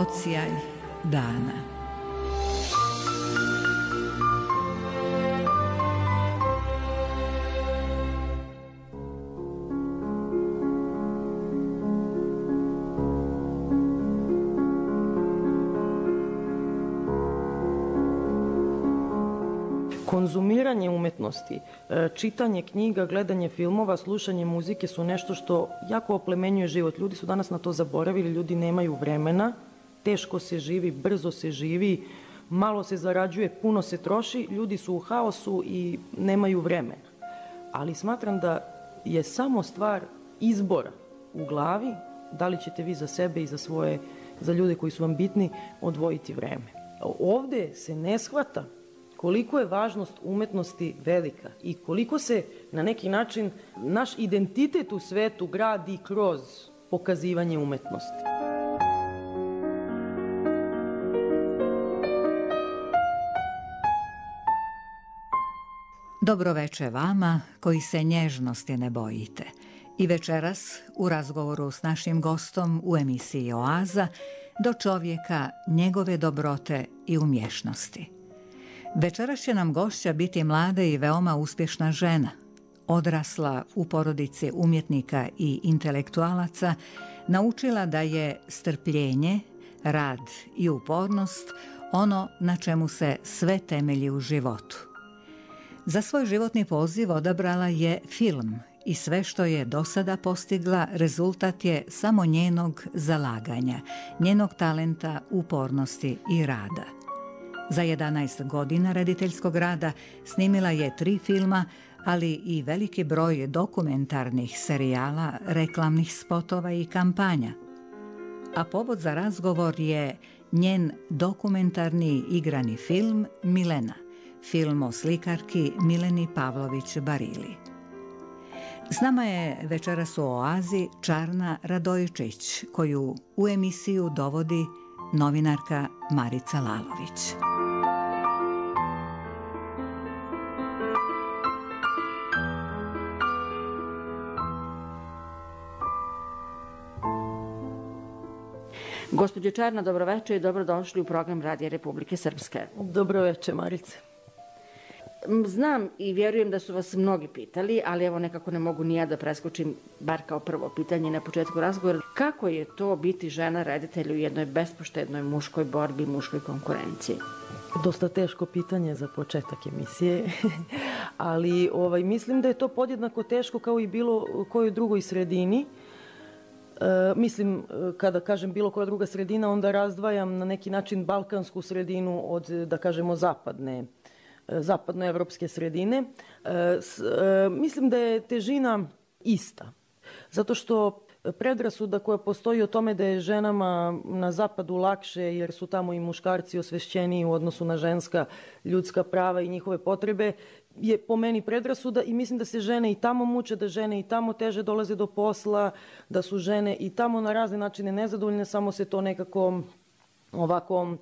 odsjaj dana. Konzumiranje umetnosti, čitanje knjiga, gledanje filmova, slušanje muzike su nešto što jako oplemenjuje život. Ljudi su danas na to zaboravili, ljudi nemaju vremena, teško se živi, brzo se živi, malo se zarađuje, puno se troši, ljudi su u haosu i nemaju vremena. Ali smatram da je samo stvar izbora u glavi, da li ćete vi za sebe i za ljude koji su vam bitni odvojiti vreme. Ovde se ne shvata koliko je važnost umetnosti velika i koliko se na neki način naš identitet u svetu gradi kroz pokazivanje umetnosti. Dobroveče vama koji se nježnosti ne bojite. I večeras u razgovoru s našim gostom u emisiji Oaza do čovjeka, njegove dobrote i umješnosti. Večeras će nam gošća biti mlada i veoma uspješna žena, odrasla u porodici umjetnika i intelektualaca, naučila da je strpljenje, rad i upornost ono na čemu se sve temelji u životu. Za svoj životni poziv odabrala je film i sve što je do sada postigla rezultat je samo njenog zalaganja, njenog talenta, upornosti i rada. Za 11 godina rediteljskog rada snimila je 3 filma, ali i veliki broj dokumentarnih serijala, reklamnih spotova i kampanja. A povod za razgovor je njen dokumentarni igrani film Milena, film o slikarki Mileni Pavlović Barili. S nama je večeras u Oazi Čarna Radojičić, koju u emisiju dovodi novinarka Marica Lalović. Gospođo Čarna, dobroveče i dobrodošli u program Radija Republike Srpske. Dobroveče, Marice. Znam i vjerujem da su vas mnogi pitali, ali evo nekako ne mogu ni ja da preskočim, bar kao prvo pitanje na početku razgovora. Kako je to biti žena reditelj u jednoj bespoštednoj muškoj borbi, muškoj konkurenciji? Dosta teško pitanje za početak emisije, ali mislim da je to podjednako teško kao i bilo kojoj drugoj sredini. Mislim, kada kažem bilo koja druga sredina, onda razdvajam na neki način balkansku sredinu od, da kažemo, zapadnoevropske sredine. Mislim da je težina ista, zato što predrasuda koja postoji o tome da je ženama na zapadu lakše jer su tamo i muškarci osvešćeniji u odnosu na ženska ljudska prava i njihove potrebe je po meni predrasuda i mislim da se žene i tamo muče, da žene i tamo teže dolaze do posla, da su žene i tamo na razne načine nezadovoljne, samo se to nekako ovako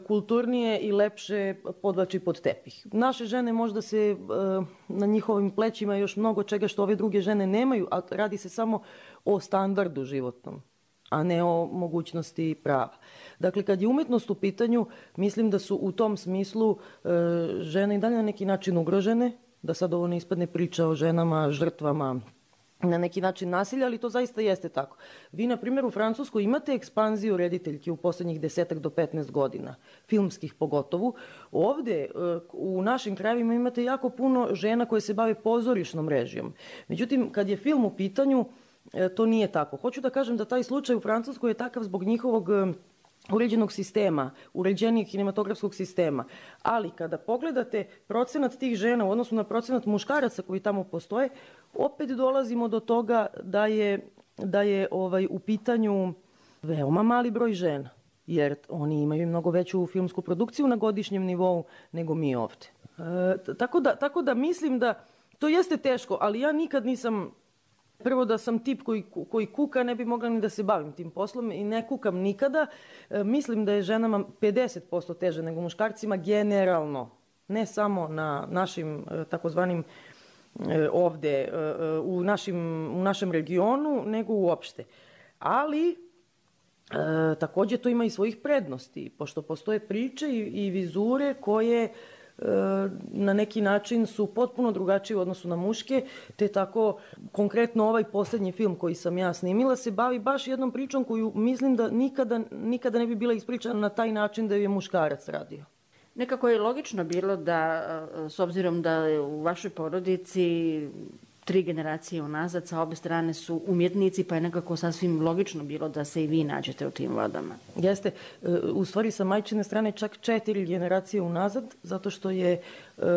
kulturnije i lepše podvlači pod tepih. Naše žene možda se na njihovim plećima još mnogo čega što ove druge žene nemaju, a radi se samo o standardu životnom, a ne o mogućnosti prava. Dakle, kad je umetnost u pitanju, mislim da su u tom smislu žene i dalje na neki način ugrožene, da sad ovo ne ispadne priča o ženama, žrtvama, na neki način nasilja, ali to zaista jeste tako. Vi, na primjer, u Francuskoj imate ekspanziju rediteljki u poslednjih 10 do 15 godina, filmskih pogotovo. Ovde, u našim krajevima imate jako puno žena koje se bave pozorišnom režijom. Međutim, kad je film u pitanju, to nije tako. Hoću da kažem da taj slučaj u Francuskoj je takav zbog njihovog uređenog sistema, uređenijeg kinematografskog sistema. Ali kada pogledate procenat tih žena u odnosu na procenat muškaraca koji tamo postoje, opet dolazimo do toga da je u pitanju veoma mali broj žena, jer oni imaju mnogo veću filmsku produkciju na godišnjem nivou nego mi ovde. Tako da mislim da to jeste teško, ali ja nikad nisam. Prvo da sam tip koji kuka, ne bi mogla ni da se bavim tim poslom i ne kukam nikada. Mislim da je ženama 50% teže nego muškarcima generalno, ne samo na našim takozvanim ovde, u našem regionu, nego uopšte. Ali takođe to ima i svojih prednosti, pošto postoje priče i vizure koje na neki način su potpuno drugačije u odnosu na muške, te tako konkretno ovaj poslednji film koji sam ja snimila se bavi baš jednom pričom koju mislim da nikada ne bi bila ispričana na taj način da ju je muškarac radio. Nekako je logično bilo da, s obzirom da je u vašoj porodici 3 generacije unazad, sa obe strane su umjetnici, pa je nekako sasvim logično bilo da se i vi nađete u tim vodama. Jeste. U stvari sa majčine strane čak 4 generacije unazad, zato što je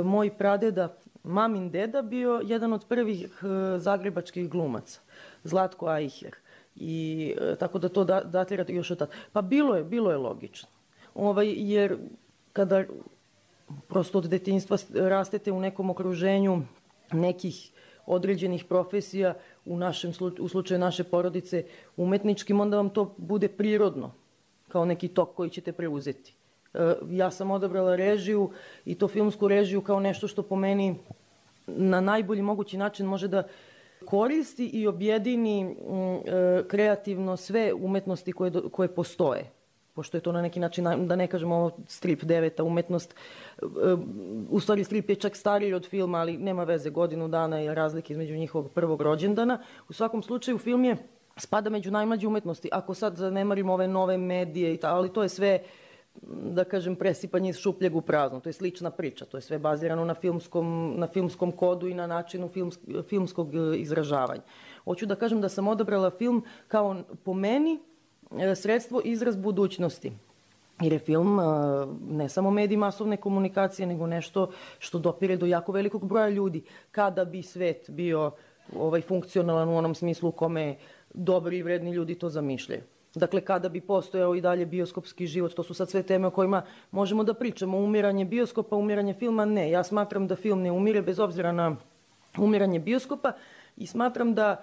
moj pradeda, mamin deda, bio jedan od prvih zagrebačkih glumaca, Zlatko Ajher. I tako da to datira još od tada. Pa bilo je logično. Jer kada prosto od detinjstva rastete u nekom okruženju nekih određenih profesija, u slučaju naše porodice umetničkim, onda vam to bude prirodno, kao neki tok koji ćete preuzeti. Ja sam odabrala režiju i to filmsku režiju kao nešto što po meni na najbolji mogući način može da koristi i objedini kreativno sve umetnosti koje postoje. Pošto je to na neki način, da ne kažemo strip 9. umetnost, u stvari strip je čak stariji od filma, ali nema veze, godinu dana je razlike između njihovog prvog rođendana. U svakom slučaju film spada među najmlađe umetnosti. Ako sad zanemarimo ove nove medije, ali to je sve, da kažem, presipanje iz šupljeg u prazno. To je slična priča, to je sve bazirano na filmskom kodu i na načinu filmskog izražavanja. Hoću da kažem da sam odabrala film kao, po meni, sredstvo izraz budućnosti. Jer je film ne samo medij masovne komunikacije, nego nešto što dopire do jako velikog broja ljudi. Kada bi svet bio funkcionalan u onom smislu u kome dobri i vredni ljudi to zamišljaju. Dakle, kada bi postojao i dalje bioskopski život, to su sad sve teme o kojima možemo da pričamo. Umiranje bioskopa, umiranje filma, ne. Ja smatram da film ne umire bez obzira na umiranje bioskopa i smatram da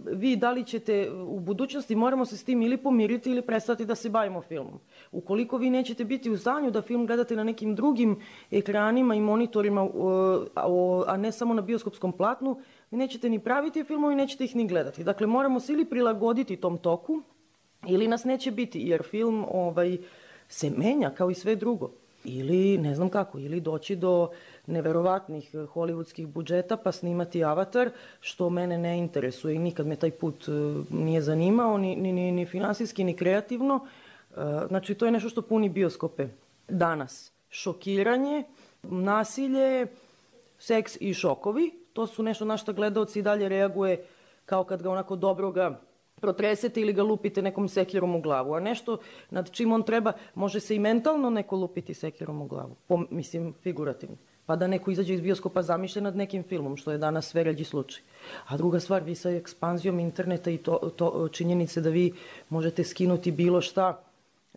vi da li ćete u budućnosti, moramo se s tim ili pomiriti ili prestati da se bavimo filmom. Ukoliko vi nećete biti u stanju da film gledate na nekim drugim ekranima i monitorima, a ne samo na bioskopskom platnu, vi nećete ni praviti filmove i nećete ih ni gledati. Dakle, moramo se ili prilagoditi tom toku ili nas neće biti, jer film se menja kao i sve drugo. Ili, ne znam kako, ili doći do neverovatnih hollywoodskih budžeta pa snimati Avatar, što mene ne interesuje i nikad me taj put nije zanimao, ni finansijski, ni kreativno. Znači, to je nešto što puni bioskope danas. Šokiranje, nasilje, seks i šokovi, to su nešto na što gledaoci i dalje reaguje kao kad ga onako dobroga protresete ili ga lupite nekom sekirom u glavu. A nešto nad čim on treba, može se i mentalno neko lupiti sekirom u glavu. Mislim, figurativno. Pa da neko izađe iz bioskopa zamišljen nad nekim filmom, što je danas sve ređi slučaj. A druga stvar, vi sa ekspanzijom interneta i to činjenice da vi možete skinuti bilo šta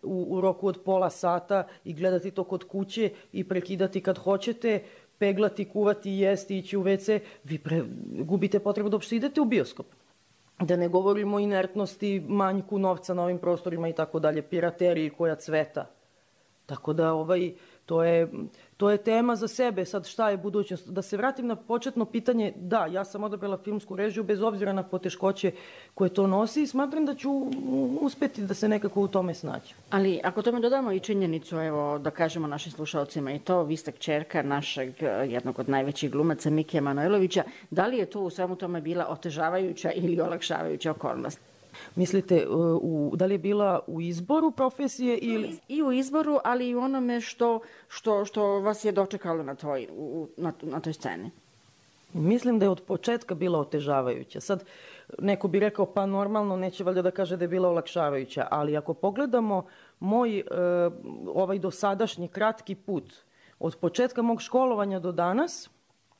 u roku od pola sata i gledati to kod kuće i prekidati kad hoćete, peglati, kuvati, jesti, ići u WC, vi gubite potrebu da uopšte idete u bioskop. Da ne govorimo o inertnosti, manjku novca na ovim prostorima i tako dalje, pirateriji koja cveta. Tako da to je tema za sebe, sad šta je budućnost. Da se vratim na početno pitanje, da, ja sam odabrala filmsku režiju bez obzira na poteškoće koje to nosi i smatram da ću uspeti da se nekako u tome snaći. Ali ako tome dodamo i činjenicu, evo da kažemo našim slušalcima i to, vi ste kćerka našeg jednog od najvećih glumaca Mikija Manojlovića, da li je to u svemu tome bila otežavajuća ili olakšavajuća okolnost? Mislite, da li je bila u izboru profesije ili... I u izboru, ali i u onome što vas je dočekalo na toj sceni. Mislim da je od početka bila otežavajuća. Sad, neko bi rekao, pa normalno, neće valjda da kaže da je bila olakšavajuća, ali ako pogledamo moj dosadašnji kratki put, od početka mog školovanja do danas,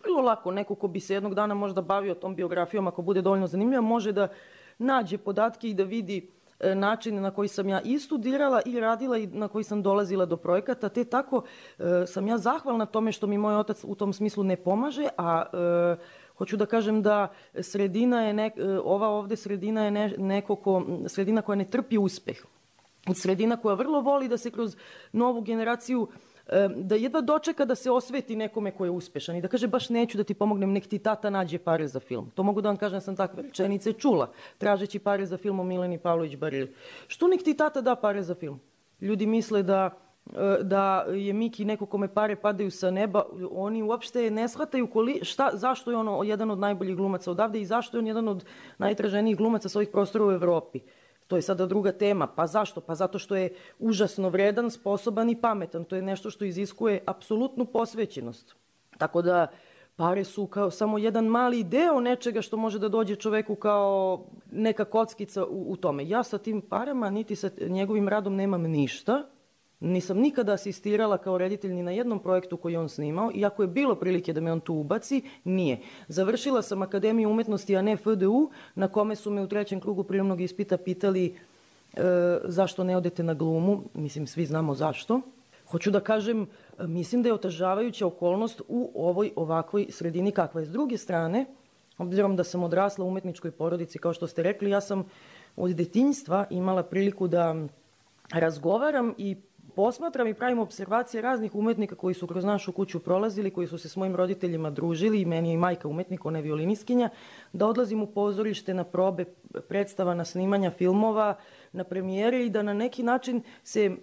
vrlo lako, neko ko bi se jednog dana možda bavio tom biografijom, ako bude dovoljno zanimljiva, može da nađe podatke i da vidi načine na koji sam ja i studirala i radila i na koji sam dolazila do projekata, te tako sam ja zahvalna tome što mi moj otac u tom smislu ne pomaže, a hoću da kažem da ova ovde sredina je sredina koja ne trpi uspeh. Sredina koja vrlo voli da se kroz novu generaciju da jedva dočeka da se osveti nekome ko je uspešan i da kaže baš neću da ti pomognem, nek ti tata nađe pare za film. To mogu da vam kažem, sam takve rečenice čula, tražeći pare za film o Mileni Pavlović Barili. Što nek ti tata da pare za film? Ljudi misle da je Miki neko kome pare padaju sa neba, oni uopšte ne shvataju zašto je on jedan od najboljih glumaca odavde i zašto je on jedan od najtraženijih glumaca sa ovih prostora u Evropi. To je sada druga tema. Pa zašto? Pa zato što je užasno vredan, sposoban i pametan. To je nešto što iziskuje apsolutnu posvećenost. Tako da pare su kao samo jedan mali deo nečega što može da dođe čoveku kao neka kockica u tome. Ja sa tim parama, niti sa njegovim radom nemam ništa. Nisam nikada asistirala kao reditelj ni na jednom projektu koji je on snimao, iako je bilo prilike da me on tu ubaci, nije. Završila sam Akademiju umetnosti, a ne FDU, na kome su me u 3. krugu prijemnog ispita pitali zašto ne odete na glumu. Mislim, svi znamo zašto. Hoću da kažem, mislim da je otežavajuća okolnost u ovoj ovakvoj sredini kakva je. S druge strane, obzirom da sam odrasla u umetničkoj porodici, kao što ste rekli, ja sam od detinjstva imala priliku da razgovaram i posmatram i pravim observacije raznih umetnika koji su kroz našu kuću prolazili, koji su se s mojim roditeljima družili, i meni je i majka umetnik, ona je violiniskinja, da odlazim u pozorište na probe predstava, na snimanja filmova, na premijere i da na neki način se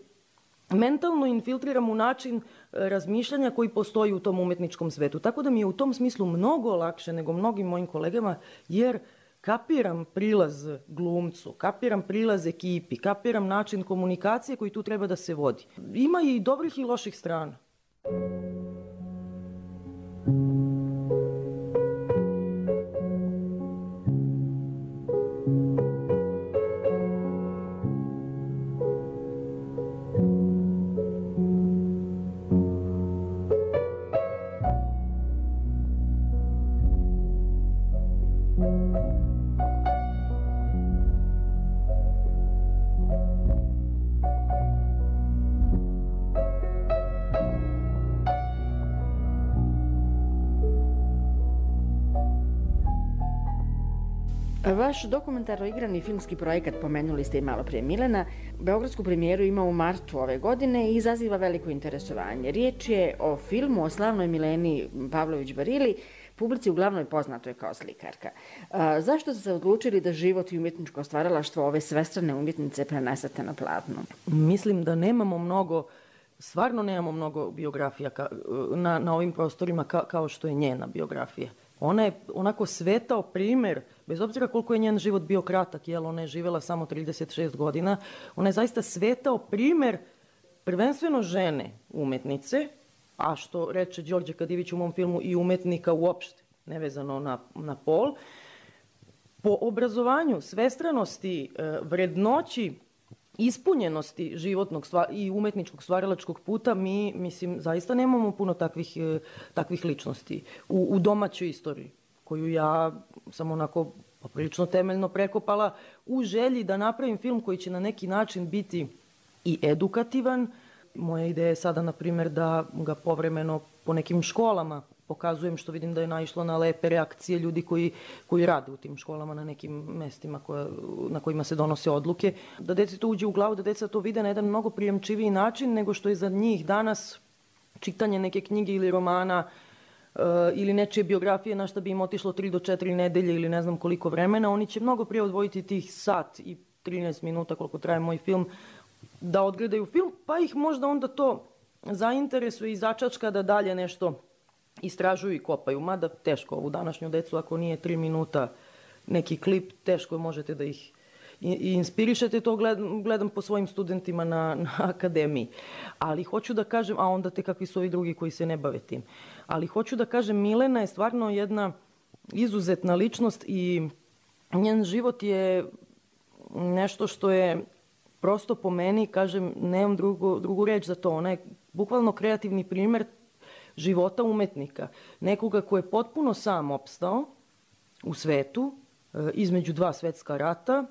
mentalno infiltriram u način razmišljanja koji postoji u tom umetničkom svetu. Tako da mi je u tom smislu mnogo lakše nego mnogim mojim kolegama, jer kapiram prilaz glumcu, kapiram prilaz ekipi, kapiram način komunikacije koji tu treba da se vodi. Ima i dobrih i loših strana. Vaš dokumentarno igrani filmski projekat, pomenuli ste i malo prije Milena, beogradsku premijeru ima u martu ove godine i izaziva veliko interesovanje. Riječ je o filmu o slavnoj Mileni Pavlović Barili, publici uglavnom poznatoj kao slikarka. Zašto ste se odlučili da život i umjetničko stvaralaštvo ove svestrane umjetnice prenesete na platno? Mislim da nemamo mnogo, stvarno nemamo mnogo biografija na ovim prostorima kao što je njena biografija. Ona je onako svetao primer, bez obzira koliko je njen život bio kratak, ona je živjela samo 36 godina, ona je zaista svetao primer prvenstveno žene umetnice, a što reče Đorđe Kadivić u mom filmu, i umetnika uopšte, nevezano na pol, po obrazovanju, svestranosti, vrednoći, ispunjenosti životnog i umetničkog stvaralačkog puta, mi, mislim, zaista nemamo puno takvih ličnosti u domaćoj istoriji, koju ja sam onako poprilično temeljno prekopala u želji da napravim film koji će na neki način biti i edukativan. Moja ideja je sada, na primjer, da ga povremeno po nekim školama pokazujem, što vidim da je naišlo na lepe reakcije ljudi koji rade u tim školama na nekim mestima na kojima se donose odluke. Da deci to uđe u glavu, da deca to vide na jedan mnogo prijemčiviji način nego što je za njih danas čitanje neke knjige ili romana ili nečije biografije na šta bi im otišlo 3 do 4 nedelje ili ne znam koliko vremena. Oni će mnogo prije odvojiti tih sat i 13 minuta koliko traje moj film da odgledaju film, pa ih možda onda to zainteresuje i začačka da dalje nešto istražuju i kopaju. Mada teško ovu današnju decu, ako nije 3 minuta neki klip, teško možete da ih i inspirišete. To gledam po svojim studentima na akademiji. Ali hoću da kažem, a onda te kakvi su ovi drugi koji se ne bave tim. Ali hoću da kažem, Milena je stvarno jedna izuzetna ličnost i njen život je nešto što je prosto po meni, kažem, nemam drugu reč za to. Ona je bukvalno kreativni primer života umetnika. Nekoga ko je potpuno sam opstao u svetu, između 2 svetska rata,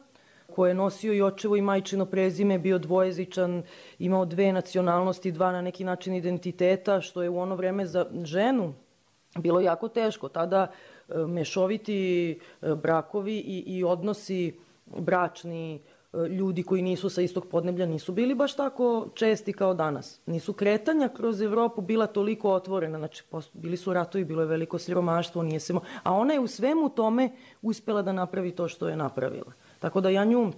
ko je nosio i očevo i majčino prezime, bio dvojezičan, imao 2 nacionalnosti, 2 na neki način identiteta, što je u ono vreme za ženu bilo jako teško. Tada mešoviti brakovi i odnosi bračni ljudi koji nisu sa istog podneblja nisu bili baš tako česti kao danas. Nisu kretanja kroz Evropu bila toliko otvorena, znači bili su ratovi, bilo je veliko siromaštvo, a ona je u svemu tome uspela da napravi to što je napravila. Tako da ja nju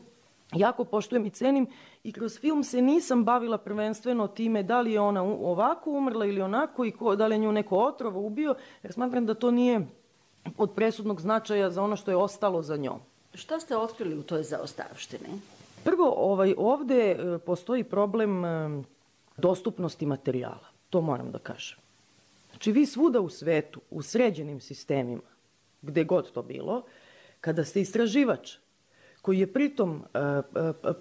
jako poštujem i cenim i kroz film se nisam bavila prvenstveno time da li je ona ovako umrla ili onako i da li je nju neko otrov ubio, jer smatram da to nije od presudnog značaja za ono što je ostalo za njom. Šta ste otkrili u toj zaostavštini? Prvo, ovde postoji problem dostupnosti materijala. To moram da kažem. Znači, vi svuda u svetu, u sređenim sistemima, gde god to bilo, kada ste istraživač koji je pritom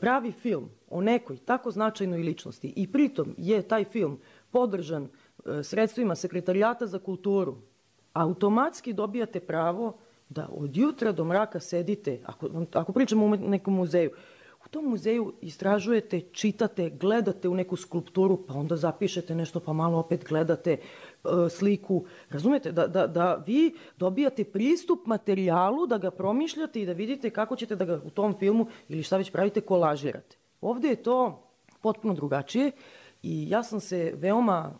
pravi film o nekoj tako značajnoj ličnosti i pritom je taj film podržan sredstvima Sekretarijata za kulturu, automatski dobijate pravo da od jutra do mraka sedite, ako pričamo u nekom muzeju, u tom muzeju istražujete, čitate, gledate u neku skulpturu, pa onda zapišete nešto, pa malo opet gledate sliku. Razumete? Da vi dobijate pristup materijalu, da ga promišljate i da vidite kako ćete da ga u tom filmu ili šta već pravite kolažirate. Ovde je to potpuno drugačije i ja sam se veoma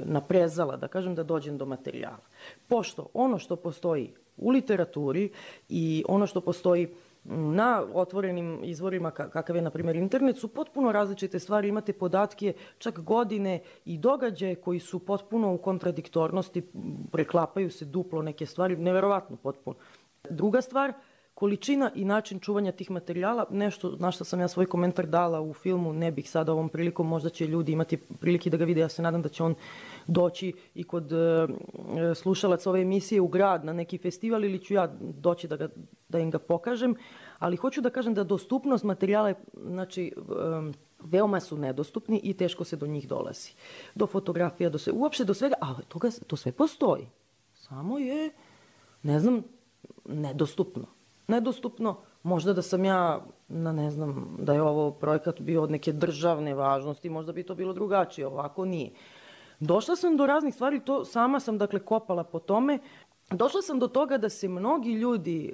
naprezala, da kažem, da dođem do materijala. Pošto ono što postoji u literaturi i ono što postoji na otvorenim izvorima kakav je, na primjer, internet, su potpuno različite stvari. Imate podatke, čak godine i događaje koji su potpuno u kontradiktornosti, preklapaju se duplo neke stvari, neverovatno potpuno. Druga stvar, količina i način čuvanja tih materijala, nešto na što sam ja svoj komentar dala u filmu, ne bih sada ovom prilikom, možda će ljudi imati prilike da ga vide, ja se nadam da će on doći i kod slušalaca ove emisije u grad na neki festival ili ću ja doći da im ga pokažem, ali hoću da kažem da dostupnost materijala, znači, veoma su nedostupni i teško se do njih dolazi. Do fotografija, uopšte do svega, a to sve postoji. Samo je, ne znam, nedostupno. Možda da sam ja, ne znam, da je ovo projekat bio od neke državne važnosti, možda bi to bilo drugačije, ovako nije. Došla sam do raznih stvari, to sama sam, dakle, kopala po tome. Došla sam do toga da se mnogi ljudi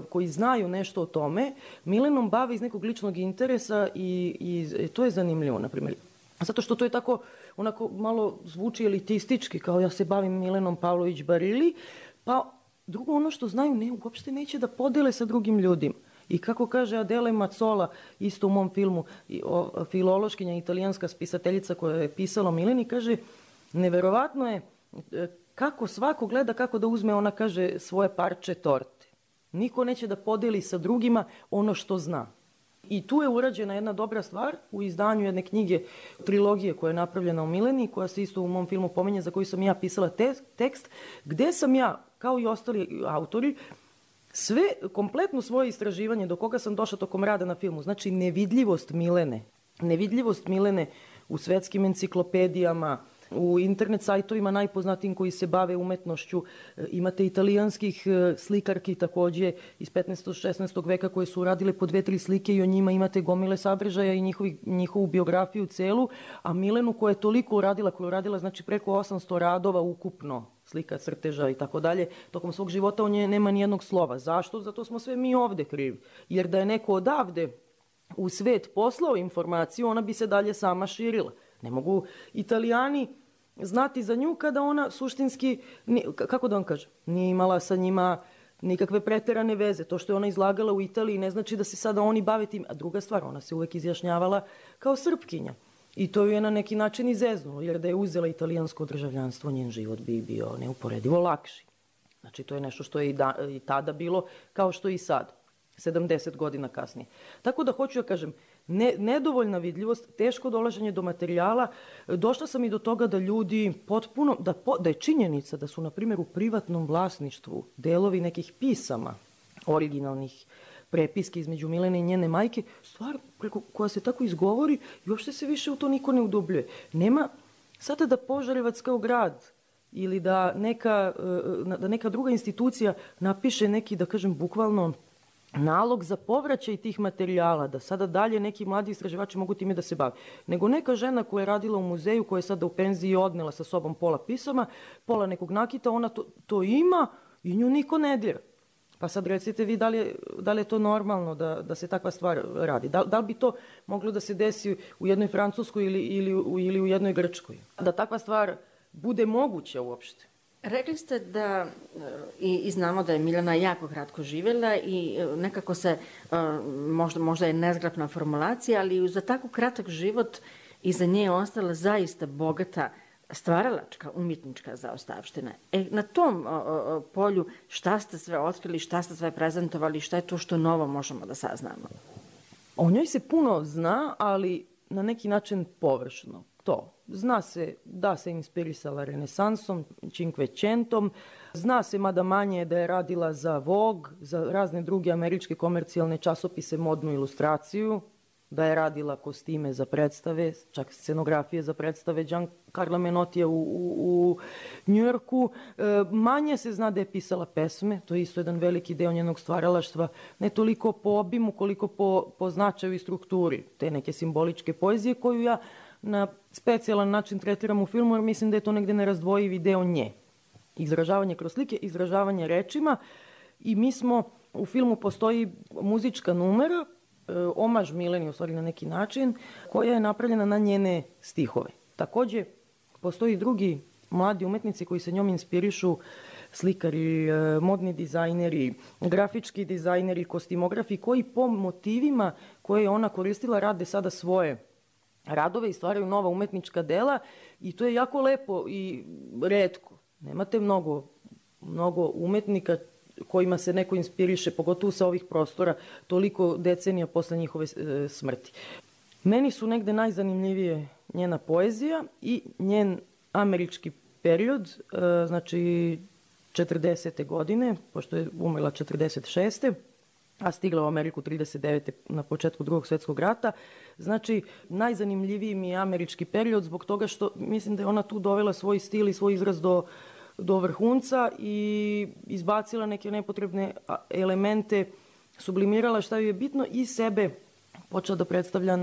koji znaju nešto o tome Milenom bave iz nekog ličnog interesa i to je zanimljivo, na primjer. Zato što to je tako, onako, malo zvuči elitistički, kao ja se bavim Milenom Pavlović Barili, pa drugo, ono što znaju, uopšte neće da podele sa drugim ljudima. I kako kaže Adele Mazzola, isto u mom filmu, filološkinja, italijanska spisateljica koja je pisala o Mileni, kaže, neverovatno je kako svako gleda kako da uzme, ona kaže, svoje parče torte. Niko neće da podeli sa drugima ono što zna. I tu je urađena jedna dobra stvar u izdanju jedne knjige, trilogije koja je napravljena o Mileni, koja se isto u mom filmu pominje, za koju sam ja pisala tekst, gde sam ja, kao i ostali autori, sve, kompletno svoje istraživanje do koga sam došla tokom rada na filmu, znači nevidljivost Milene u svetskim enciklopedijama, u internet sajtovima najpoznatijim koji se bave umetnošću, imate italijanskih slikarki takođe iz 15. 16. veka koje su uradile po 2-3 slike i o njima imate gomile sadržaja i njihovu biografiju celu, a Milenu koja je toliko uradila, znači preko 800 radova ukupno, slika, crteža i tako dalje, tokom svog života o nje nema ni jednog slova. Zašto? Zato smo sve mi ovde krivi. Jer da je neko odavde u svet poslao informaciju, ona bi se dalje sama širila. Ne mogu Italijani znati za nju kada ona suštinski, kako da vam kažem, nije imala sa njima nikakve preterane veze. To što je ona izlagala u Italiji ne znači da se sada oni bave tim. A druga stvar, ona se uvek izjašnjavala kao Srpkinja. I to je na neki način izeznulo, jer da je uzela italijansko državljanstvo, njen život bi bio neuporedivo lakši. Znači, to je nešto što je i tada bilo, kao što je i sad, 70 godina kasnije. Tako da hoću da kažem, nedovoljna vidljivost, teško dolaženje do materijala. Došla sam i do toga da ljudi potpuno, da je činjenica da su, na primjer, u privatnom vlasništvu delovi nekih pisama, originalnih prepiske između Milene i njene majke, stvar koja se tako izgovori i uopšte se više u to niko ne udubljuje. Nema sada da Požarevac kao grad ili da neka druga institucija napiše neki, da kažem, bukvalno nalog za povraćaj tih materijala, da sada dalje neki mladi istraživači mogu time da se bave. Nego neka žena koja je radila u muzeju, koja je sada u penziji i odnela sa sobom pola pisama, pola nekog nakita, ona to ima i nju niko ne dira. Pa sad recite vi da li je to normalno da se takva stvar radi? Da li bi to moglo da se desi u jednoj Francuskoj ili u jednoj Grčkoj? Da takva stvar bude moguća uopšte? Rekli ste da, i znamo da je Milena jako kratko živjela i nekako se, možda je nezgrapna formulacija, ali za tako kratak život iza nje je ostala zaista bogata stvaralačka, umjetnička zaostavština. Na tom polju šta ste sve otkrili, šta ste sve prezentovali, šta je to što novo možemo da saznamo? O njoj se puno zna, ali na neki način površno. Zna se da se inspirisala renesansom, Cinquecentom, zna se mada manje da je radila za Vogue, za razne druge američke komercijalne časopise, modnu ilustraciju, da je radila kostime za predstave, čak scenografije za predstave Giancarla Menotija u Njujorku. Manje se zna da je pisala pesme, to je isto jedan veliki deo njenog stvaralaštva, ne toliko po obimu koliko po značaju i strukturi te neke simboličke poezije koju ja na specijalan način tretiram u filmu, jer mislim da je to negde nerazdvojivi deo nje. Izražavanje kroz slike, izražavanje rečima i mi smo, u filmu postoji muzička numera, omaž Mileni u stvari na neki način, koja je napravljena na njene stihove. Takođe, postoji drugi mladi umetnici koji se njom inspirišu, slikari, modni dizajneri, grafički dizajneri, kostimografi, koji po motivima koje je ona koristila rade sada svoje radove i stvaraju nova umetnička dela i to je jako lepo i retko. Nemate mnogo umetnika kojima se neko inspiriše, pogotovo sa ovih prostora, toliko decenija posle njihove smrti. Meni su negde najzanimljivije njena poezija i njen američki period, znači 40. godine, pošto je umrla 46. a stigla u Ameriku 39. na početku Drugog svjetskog rata. Znači, najzanimljiviji mi je američki period zbog toga što mislim da je ona tu dovela svoj stil i svoj izraz do vrhunca i izbacila neke nepotrebne elemente, sublimirala šta joj je bitno i sebe počela da predstavlja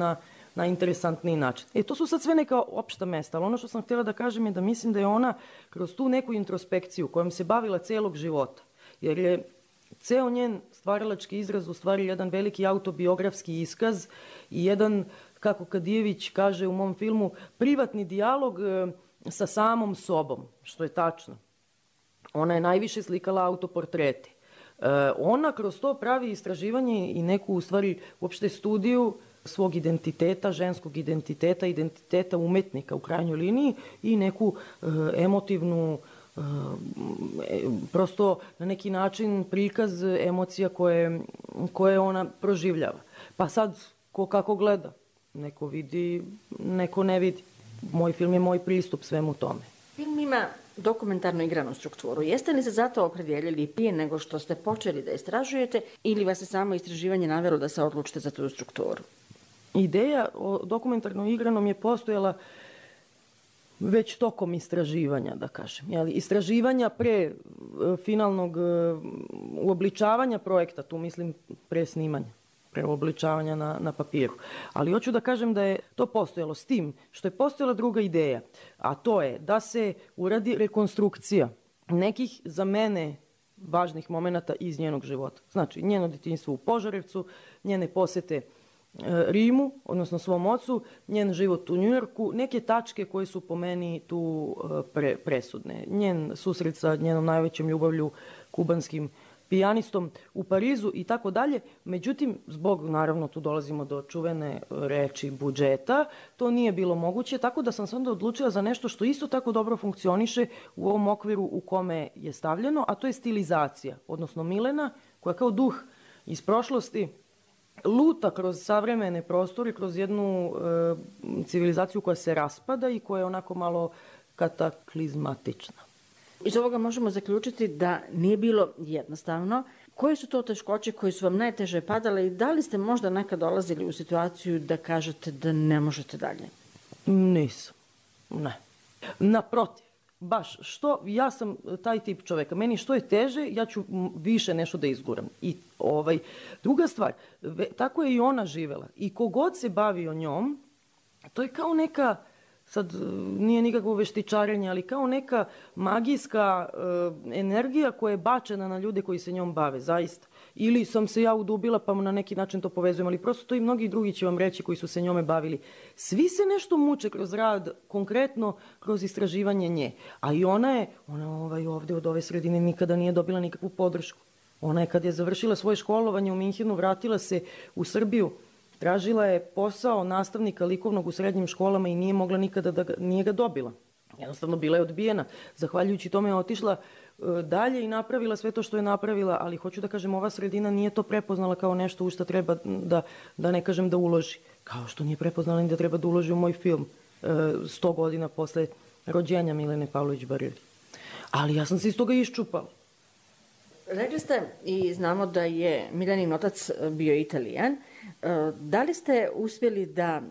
na interesantniji način. To su sad sve neka opšta mesta, ali ono što sam htjela da kažem je da mislim da je ona kroz tu neku introspekciju kojom se bavila celog života, jer je ceo njen stvaralački izraz u stvari jedan veliki autobiografski iskaz i jedan, kako Kadijević kaže u mom filmu, privatni dijalog sa samom sobom, što je tačno. Ona je najviše slikala autoportrete. Ona kroz to pravi istraživanje i neku, u stvari, uopšte studiju svog identiteta, ženskog identiteta, identiteta umetnika u krajnjoj liniji i neku emotivnu, prosto na neki način prikaz emocija koje ona proživljava. Pa sad, ko kako gleda, neko vidi, neko ne vidi. Moj film je moj pristup svemu tome. Film ima dokumentarno igranu strukturu. Jeste li se zato opredjeljili prije nego što ste počeli da istražujete ili vas je samo istraživanje navelo da se odlučite za tu strukturu? Ideja o dokumentarno igranom je postojala već tokom istraživanja, da kažem. Istraživanja pre finalnog uobličavanja projekta, tu mislim pre snimanja, pre uobličavanja na papiru. Ali hoću da kažem da je to postojalo s tim što je postojala druga ideja, a to je da se uradi rekonstrukcija nekih za mene važnih momenata iz njenog života. Znači, njeno detinjstvo u Požarevcu, njene posete Rimu, odnosno svom ocu, njen život u Njujorku, neke tačke koje su po meni tu presudne. Njen susret sa njenom najvećom ljubavlju, kubanskim pijanistom u Parizu i tako dalje. Međutim, zbog, naravno, tu dolazimo do čuvene reči budžeta, to nije bilo moguće, tako da sam se onda odlučila za nešto što isto tako dobro funkcioniše u ovom okviru u kome je stavljeno, a to je stilizacija, odnosno Milena, koja kao duh iz prošlosti luta kroz savremene prostore, kroz jednu civilizaciju koja se raspada i koja je onako malo kataklizmatična. Iz ovoga možemo zaključiti da nije bilo jednostavno. Koje su to teškoće koje su vam najteže padale i da li ste možda nekad dolazili u situaciju da kažete da ne možete dalje? Nisam. Ne. Naprotiv. Baš, ja sam taj tip čoveka. Meni što je teže, ja ću više nešto da izguram. I druga stvar, tako je i ona živela. I kogod se bavio njom, to je kao neka sad nije nikakvo veštičarenje, ali kao neka magijska energija koja je bačena na ljude koji se njom bave, zaista. Ili sam se ja udubila pa na neki način to povezujem, ali prosto to i mnogi drugi će vam reći koji su se njome bavili. Svi se nešto muče kroz rad, konkretno kroz istraživanje nje. A i ona ovde od ove sredine nikada nije dobila nikakvu podršku. Ona je kad je završila svoje školovanje u Minhenu, vratila se u Srbiju, tražila je posao nastavnika likovnog u srednjim školama i nije mogla nikada nije ga dobila. Jednostavno bila je odbijena. Zahvaljujući tome je otišla dalje i napravila sve to što je napravila, ali hoću da kažem, ova sredina nije to prepoznala kao nešto u što treba da ne kažem da uloži. Kao što nije prepoznala ni da treba da uloži u moj film 100 godina posle rođenja Milene Pavlović-Barili. Ali ja sam se iz toga iščupala. Rekli ste i znamo da je Milenin otac bio Italijan. Da li ste uspjeli da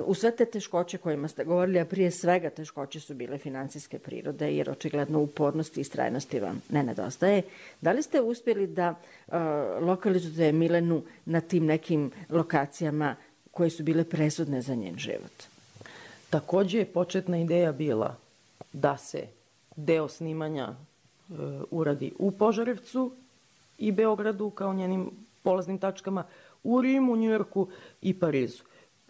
u sve te teškoće kojima ste govorili, a prije svega teškoće su bile finansijske prirode, jer očigledno upornosti i istrajnosti vam ne nedostaje, da li ste uspjeli da lokalizujete Milenu na tim nekim lokacijama koje su bile presudne za njen život? Takođe je početna ideja bila da se deo snimanja uradi u Požarevcu i Beogradu kao njenim polaznim tačkama, u Rimu, Njujorku i Parizu.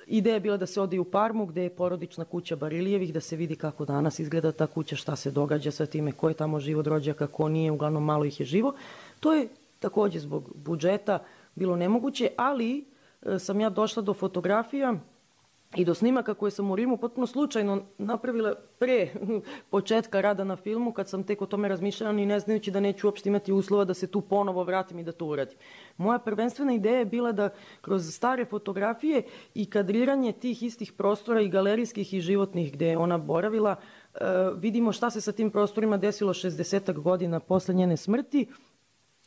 Ideja je bila da se ode u Parmu, gde je porodična kuća Barilijevih, da se vidi kako danas izgleda ta kuća, šta se događa sa time, ko je tamo živo od rođaka, ko nije, uglavnom malo ih je živo. To je takođe zbog budžeta bilo nemoguće, ali sam ja došla do fotografija i do snimaka koje sam u Rimu potpuno slučajno napravila pre početka rada na filmu, kad sam tek o tome razmišljala, ni ne znajući da neću uopšte imati uslova da se tu ponovo vratim i da to uradim. Moja prvenstvena ideja je bila da kroz stare fotografije i kadriranje tih istih prostora i galerijskih i životnih gde je ona boravila, vidimo šta se sa tim prostorima desilo 60-ak godina posle njene smrti,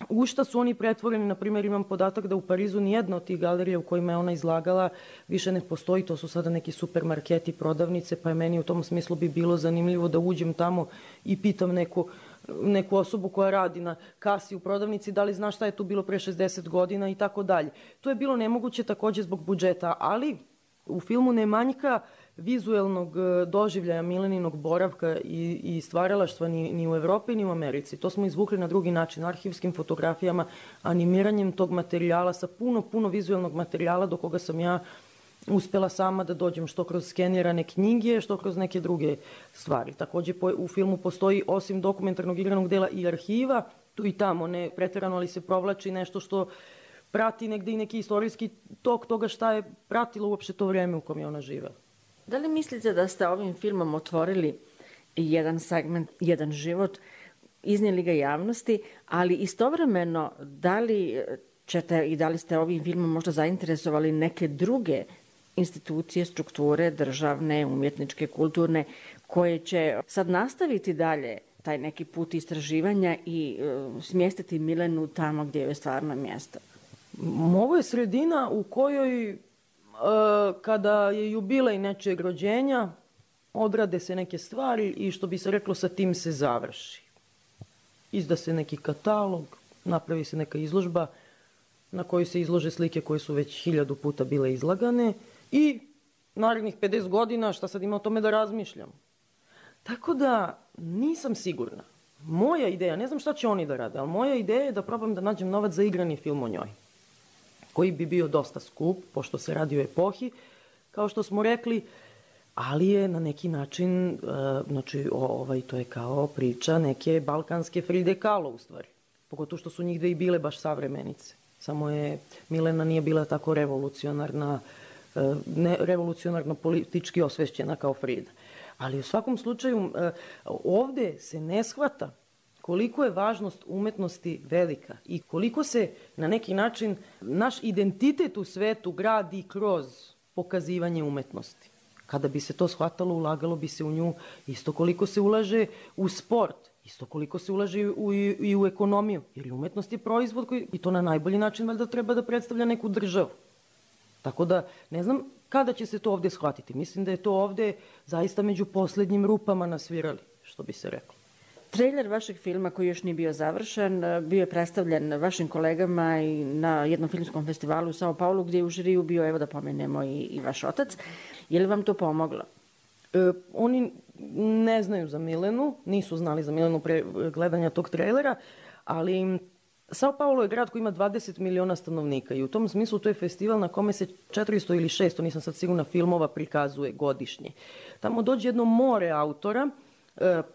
u šta su oni pretvoreni. Na primjer, imam podatak da u Parizu nijedna od tih galerija u kojima je ona izlagala više ne postoji, to su sada neki supermarketi, prodavnice, pa je meni u tom smislu bi bilo zanimljivo da uđem tamo i pitam neku osobu koja radi na kasi u prodavnici da li zna šta je tu bilo pre 60 godina i tako dalje. To je bilo nemoguće takođe zbog budžeta, ali u filmu ne manjka vizuelnog doživljaja Mileninog boravka i stvaralaštva ni u Evropi ni u Americi. To smo izvukli na drugi način, arhivskim fotografijama, animiranjem tog materijala sa puno vizuelnog materijala do koga sam ja uspela sama da dođem, što kroz skenirane knjige, što kroz neke druge stvari. Takođe u filmu postoji, osim dokumentarnog igranog dela, i arhiva, tu i tamo, ne preterano, ali se provlači nešto što prati negde i neki istorijski tok toga šta je pratilo uopšte to vreme u kom je ona živela. Da li mislite da ste ovim filmom otvorili jedan segment, jedan život, iznijeli ga javnosti, ali istovremeno da li ćete i da li ste ovim filmom možda zainteresovali neke druge institucije, strukture, državne, umjetničke, kulturne, koje će sad nastaviti dalje taj neki put istraživanja i smjestiti Milenu tamo gdje je stvarno mjesto? Ovo je sredina u kojoj kada je jubilej nečijeg rođenja, odrade se neke stvari i što bi se reklo sa tim se završi. Izda se neki katalog, napravi se neka izložba na kojoj se izlože slike koje su već 1000 puta bile izlagane i narednih 50 godina šta sad ima o tome da razmišljam. Tako da nisam sigurna. Moja ideja, ne znam šta će oni da rade, ali moja ideja je da probam da nađem novac za igrani film o njoj, koji bi bio dosta skup, pošto se radi o epohi, kao što smo rekli, ali je na neki način, to je kao priča neke balkanske Fride Kahlo u stvari. Pogotovo što su njih dve i bile baš savremenice. Samo je Milena nije bila tako revolucionarno politički osvešćena kao Frida. Ali u svakom slučaju ovde se ne shvata koliko je važnost umetnosti velika i koliko se na neki način naš identitet u svetu gradi kroz pokazivanje umetnosti. Kada bi se to shvatalo, ulagalo bi se u nju isto koliko se ulaže u sport, isto koliko se ulaže i u ekonomiju, jer umetnost je proizvod koji, i to na najbolji način, valjda treba da predstavlja neku državu. Tako da, ne znam kada će se to ovde shvatiti. Mislim da je to ovde zaista među poslednjim rupama nasvirali, što bi se reklo. Trailer vašeg filma, koji još nije bio završen, bio je predstavljen vašim kolegama i na jednom filmskom festivalu u Sao Paulu, gdje je u žiriju bio, evo da pomenemo, i vaš otac. Je li vam to pomoglo? Oni ne znaju za Milenu, nisu znali za Milenu pre gledanja tog trailera, ali Sao Paulo je grad koji ima 20 miliona stanovnika i u tom smislu to je festival na kome se 400 ili 600, nisam sad sigurna, filmova prikazuje godišnje. Tamo dođe jedno more autora,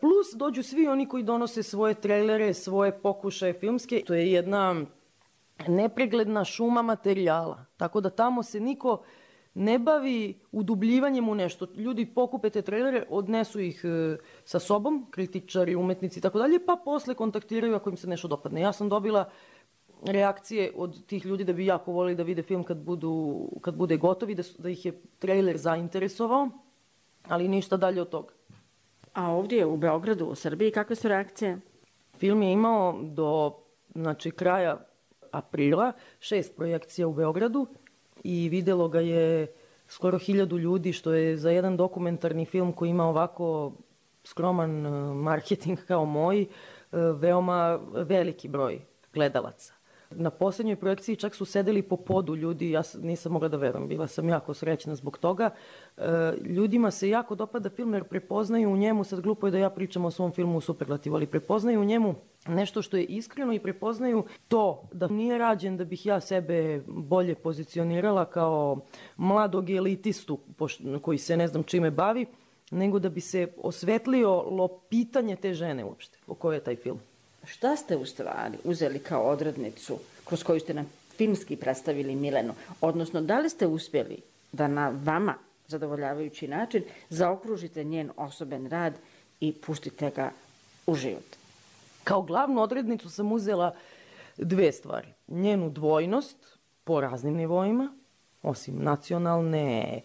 plus dođu svi oni koji donose svoje trailere, svoje pokušaje filmske. To je jedna nepregledna šuma materijala, tako da tamo se niko ne bavi udubljivanjem u nešto. Ljudi pokupe te trailere, odnesu ih sa sobom, kritičari, umetnici i tako dalje, pa posle kontaktiraju ako im se nešto dopadne. Ja sam dobila reakcije od tih ljudi da bi jako volili da vide film kad bude gotovi, da ih je trailer zainteresovao, ali ništa dalje od toga. A ovdje u Beogradu, u Srbiji, kakve su reakcije? Film je imao do kraja aprila 6 projekcija u Beogradu i videlo ga je skoro 1000 ljudi, što je za jedan dokumentarni film koji ima ovako skroman marketing kao moj, veoma veliki broj gledalaca. Na posljednjoj projekciji čak su sedeli po podu ljudi, ja nisam mogla da verujem, bila sam jako srećna zbog toga. Ljudima se jako dopada film jer prepoznaju u njemu, sad glupo je da ja pričam o svom filmu u superlativu, ali prepoznaju u njemu nešto što je iskreno i prepoznaju to da nije rađen da bih ja sebe bolje pozicionirala kao mladog elitistu koji se ne znam čime bavi, nego da bi se osvetlilo pitanje te žene uopšte, o kojoj je taj film. Šta ste u stvari uzeli kao odrednicu kroz koju ste nam filmski predstavili Milenu? Odnosno, da li ste uspjeli da na vama zadovoljavajući način zaokružite njen osoben rad i pustite ga u život? Kao glavnu odrednicu sam uzela 2 stvari. Njenu dvojnost po raznim nivoima, osim nacionalne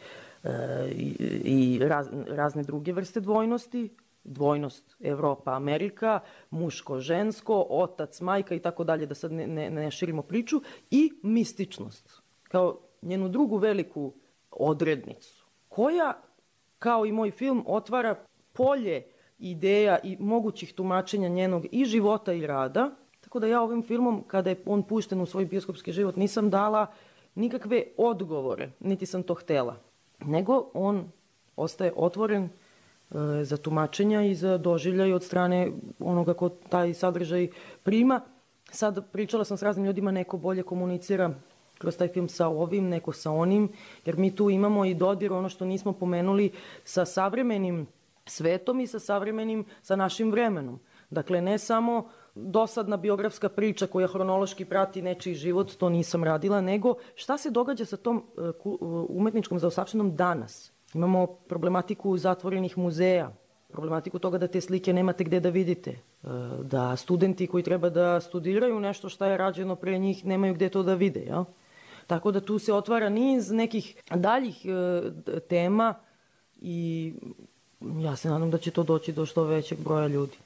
i razne druge vrste dvojnosti, dvojnost Evropa-Amerika, muško-žensko, otac, majka i tako dalje, da sad ne širimo priču, i mističnost, kao njenu drugu veliku odrednicu, koja, kao i moj film, otvara polje ideja i mogućih tumačenja njenog i života i rada, tako da ja ovim filmom, kada je on pušten u svoj bioskopski život, nisam dala nikakve odgovore, niti sam to htela, nego on ostaje otvoren za tumačenja i za doživljaj od strane onoga ko taj sadržaj prima. Sad pričala sam s raznim ljudima, neko bolje komunicira kroz taj film sa ovim, neko sa onim, jer mi tu imamo i dodir, ono što nismo pomenuli, sa savremenim svetom i sa našim vremenom. Dakle, ne samo dosadna biografska priča koja hronološki prati nečiji život, to nisam radila, nego šta se događa sa tom umetničkom zaostavštinom danas. Imamo problematiku zatvorenih muzeja, problematiku toga da te slike nemate gde da vidite, da studenti koji treba da studiraju nešto šta je rađeno pre njih nemaju gde to da vide. Ja? Tako da tu se otvara niz nekih daljih tema i ja se nadam da će to doći do što većeg broja ljudi.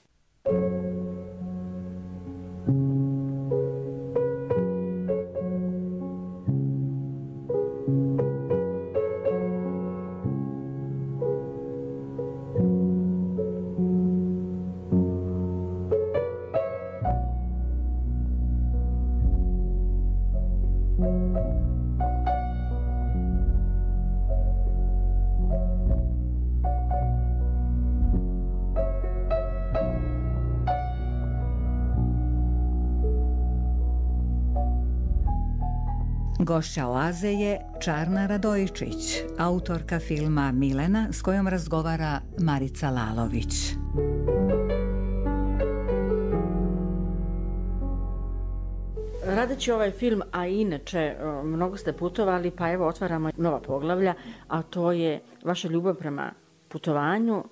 Gošća Oaze je Čarna Radojičić, autorka filma Milena, s kojom razgovara Marica Lalović. Radeći ovaj film, a inače mnogo ste putovali, pa evo otvaramo nova poglavlja, a to je vaša ljubav prema putovanju.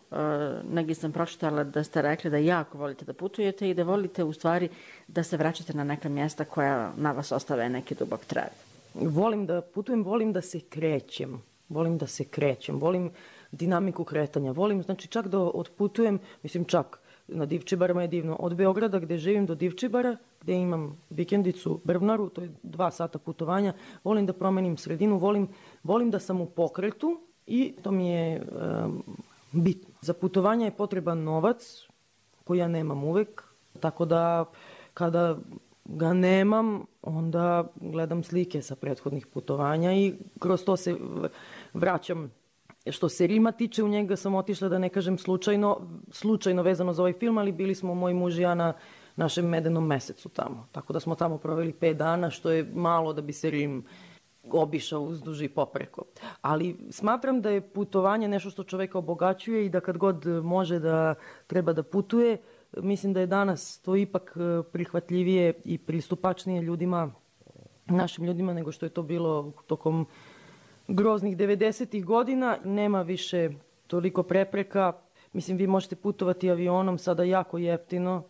Negdje sam pročitala da ste rekli da jako volite da putujete i da volite u stvari da se vraćate na neka mjesta koja na vas ostave neki dubok trag. Volim da putujem, volim da se krećem, volim dinamiku kretanja, volim, znači čak da otputujem, mislim čak na Divčibarama je divno, od Beograda gde živim do Divčibara, gde imam vikendicu Brvnaru, to je 2 sata putovanja, volim da promenim sredinu, volim da sam u pokretu i to mi je bitno. Za putovanje je potreban novac koji ja nemam uvek, tako da kada ga nemam, onda gledam slike sa prethodnih putovanja i kroz to se vraćam Što se Rima tiče, u njega sam otišla, da ne kažem slučajno vezano za ovaj film, ali bili smo moj muž i ja na našem medenom mesecu tamo. Tako da smo tamo proveli 5 dana, što je malo da bi se Rim obišao uzduž i popreko. Ali smatram da je putovanje nešto što čoveka obogaćuje i da kad god može da treba da putuje, mislim da je danas to ipak prihvatljivije i pristupačnije ljudima, našim ljudima, nego što je to bilo tokom groznih 90-ih godina. Nema više toliko prepreka. Mislim, vi možete putovati avionom sada jako jeftino.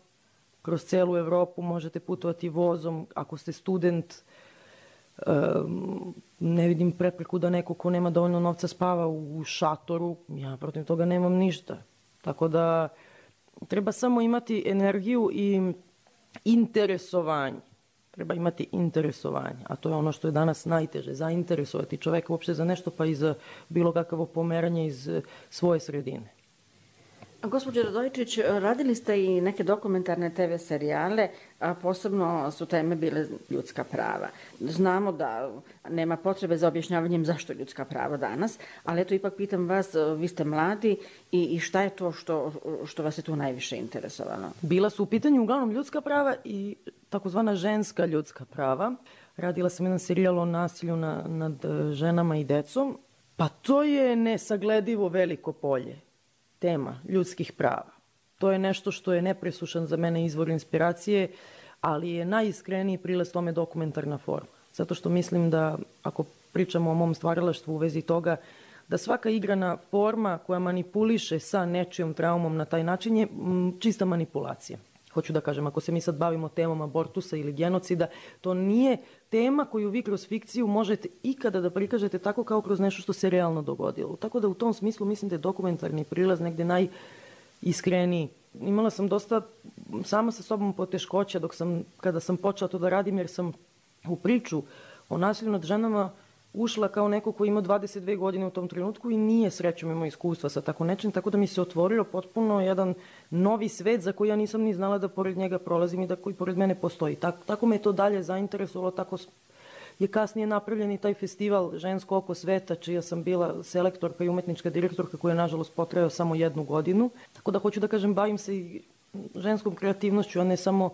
Kroz celu Evropu možete putovati vozom. Ako ste student, ne vidim prepreku da neko ko nema dovoljno novca spava u šatoru. Ja protiv toga nemam ništa. Tako da treba samo imati energiju i interesovanje. Treba imati interesovanje, a to je ono što je danas najteže, zainteresovati čoveka uopšte za nešto, pa i za bilo kakvo pomeranje iz svoje sredine. Gospođo Radojičić, radili ste i neke dokumentarne TV serijale, a posebno su teme bile ljudska prava. Znamo da nema potrebe za objašnjavanjem zašto ljudska prava danas, ali eto ipak pitam vas, vi ste mladi i šta je to što vas je tu najviše interesovalo? Bila su u pitanju uglavnom ljudska prava i takozvana ženska ljudska prava. Radila sam jedan serijal o nasilju nad ženama i decom. Pa to je nesagledivo veliko polje. Tema ljudskih prava. To je nešto što je nepresušan za mene izvor inspiracije, ali je najiskreniji prilaz tome dokumentarna forma. Zato što mislim da, ako pričamo o mom stvaralaštvu u vezi toga, da svaka igrana forma koja manipuliše sa nečijom traumom na taj način je čista manipulacija. Hoću da kažem, ako se mi sad bavimo temom abortusa ili genocida, to nije tema koju vi kroz fikciju možete ikada da prikažete tako kao kroz nešto što se realno dogodilo. Tako da u tom smislu mislim da je dokumentarni prilaz negde najiskreniji. Imala sam dosta sama sa sobom poteškoća kada sam počela to da radim, jer sam u priču o nasilju nad ženama ušla kao neko ko ima 22 godine u tom trenutku i nije srećom imao iskustva sa tako nečim, tako da mi se otvorio potpuno jedan novi svet za koji ja nisam ni znala da pored njega prolazim i da koji pored mene postoji. Tako me je to dalje zainteresovalo, tako je kasnije napravljen i taj festival Žensko oko sveta, čija sam bila selektorka i umetnička direktorka, koja je nažalost potrajao samo 1 godinu. Tako da hoću da kažem, bavim se i ženskom kreativnošću, a ne samo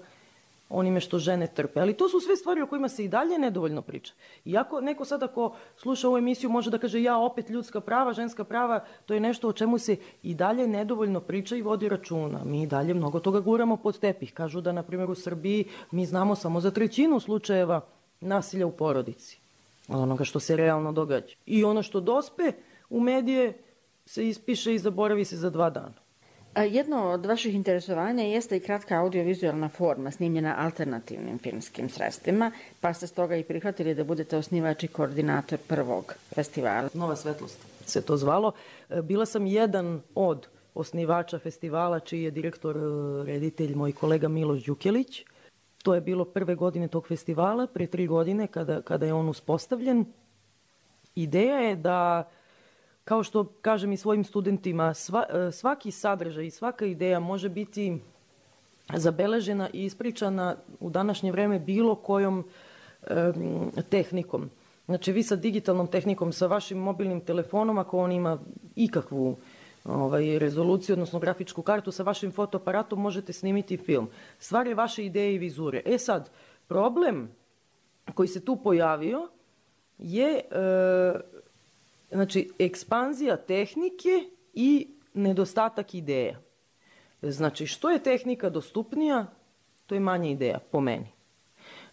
onime što žene trpe. Ali to su sve stvari o kojima se i dalje nedovoljno priča. Iako neko sad ako sluša ovu emisiju može da kaže ja opet ljudska prava, ženska prava, to je nešto o čemu se i dalje nedovoljno priča i vodi računa. Mi i dalje mnogo toga guramo pod tepih. Kažu da, na primjer, u Srbiji mi znamo samo za 1/3 slučajeva nasilja u porodici. Onoga što se realno događa. I ono što dospe u medije se ispiše i zaboravi se za 2 dana. Jedno od vaših interesovanja jeste i kratka audiovizualna forma snimljena alternativnim filmskim sredstvima, pa ste stoga i prihvatili da budete osnivač i koordinator prvog festivala. Nova svetlost se to zvalo. Bila sam jedan od osnivača festivala, čiji je direktor, reditelj, moj kolega Miloš Đukelić. To je bilo prve godine tog festivala, pre 3 godine kada je on uspostavljen. Ideja je da, kao što kažem i svojim studentima, svaki sadržaj i svaka ideja može biti zabeležena i ispričana u današnje vreme bilo kojom tehnikom. Znači, vi sa digitalnom tehnikom, sa vašim mobilnim telefonom, ako on ima ikakvu rezoluciju, odnosno grafičku kartu, sa vašim fotoaparatom možete snimiti film. Stvar je vaše ideje i vizure. Sad, problem koji se tu pojavio je znači, ekspanzija tehnike i nedostatak ideja. Znači, što je tehnika dostupnija, to je manje ideja, po meni.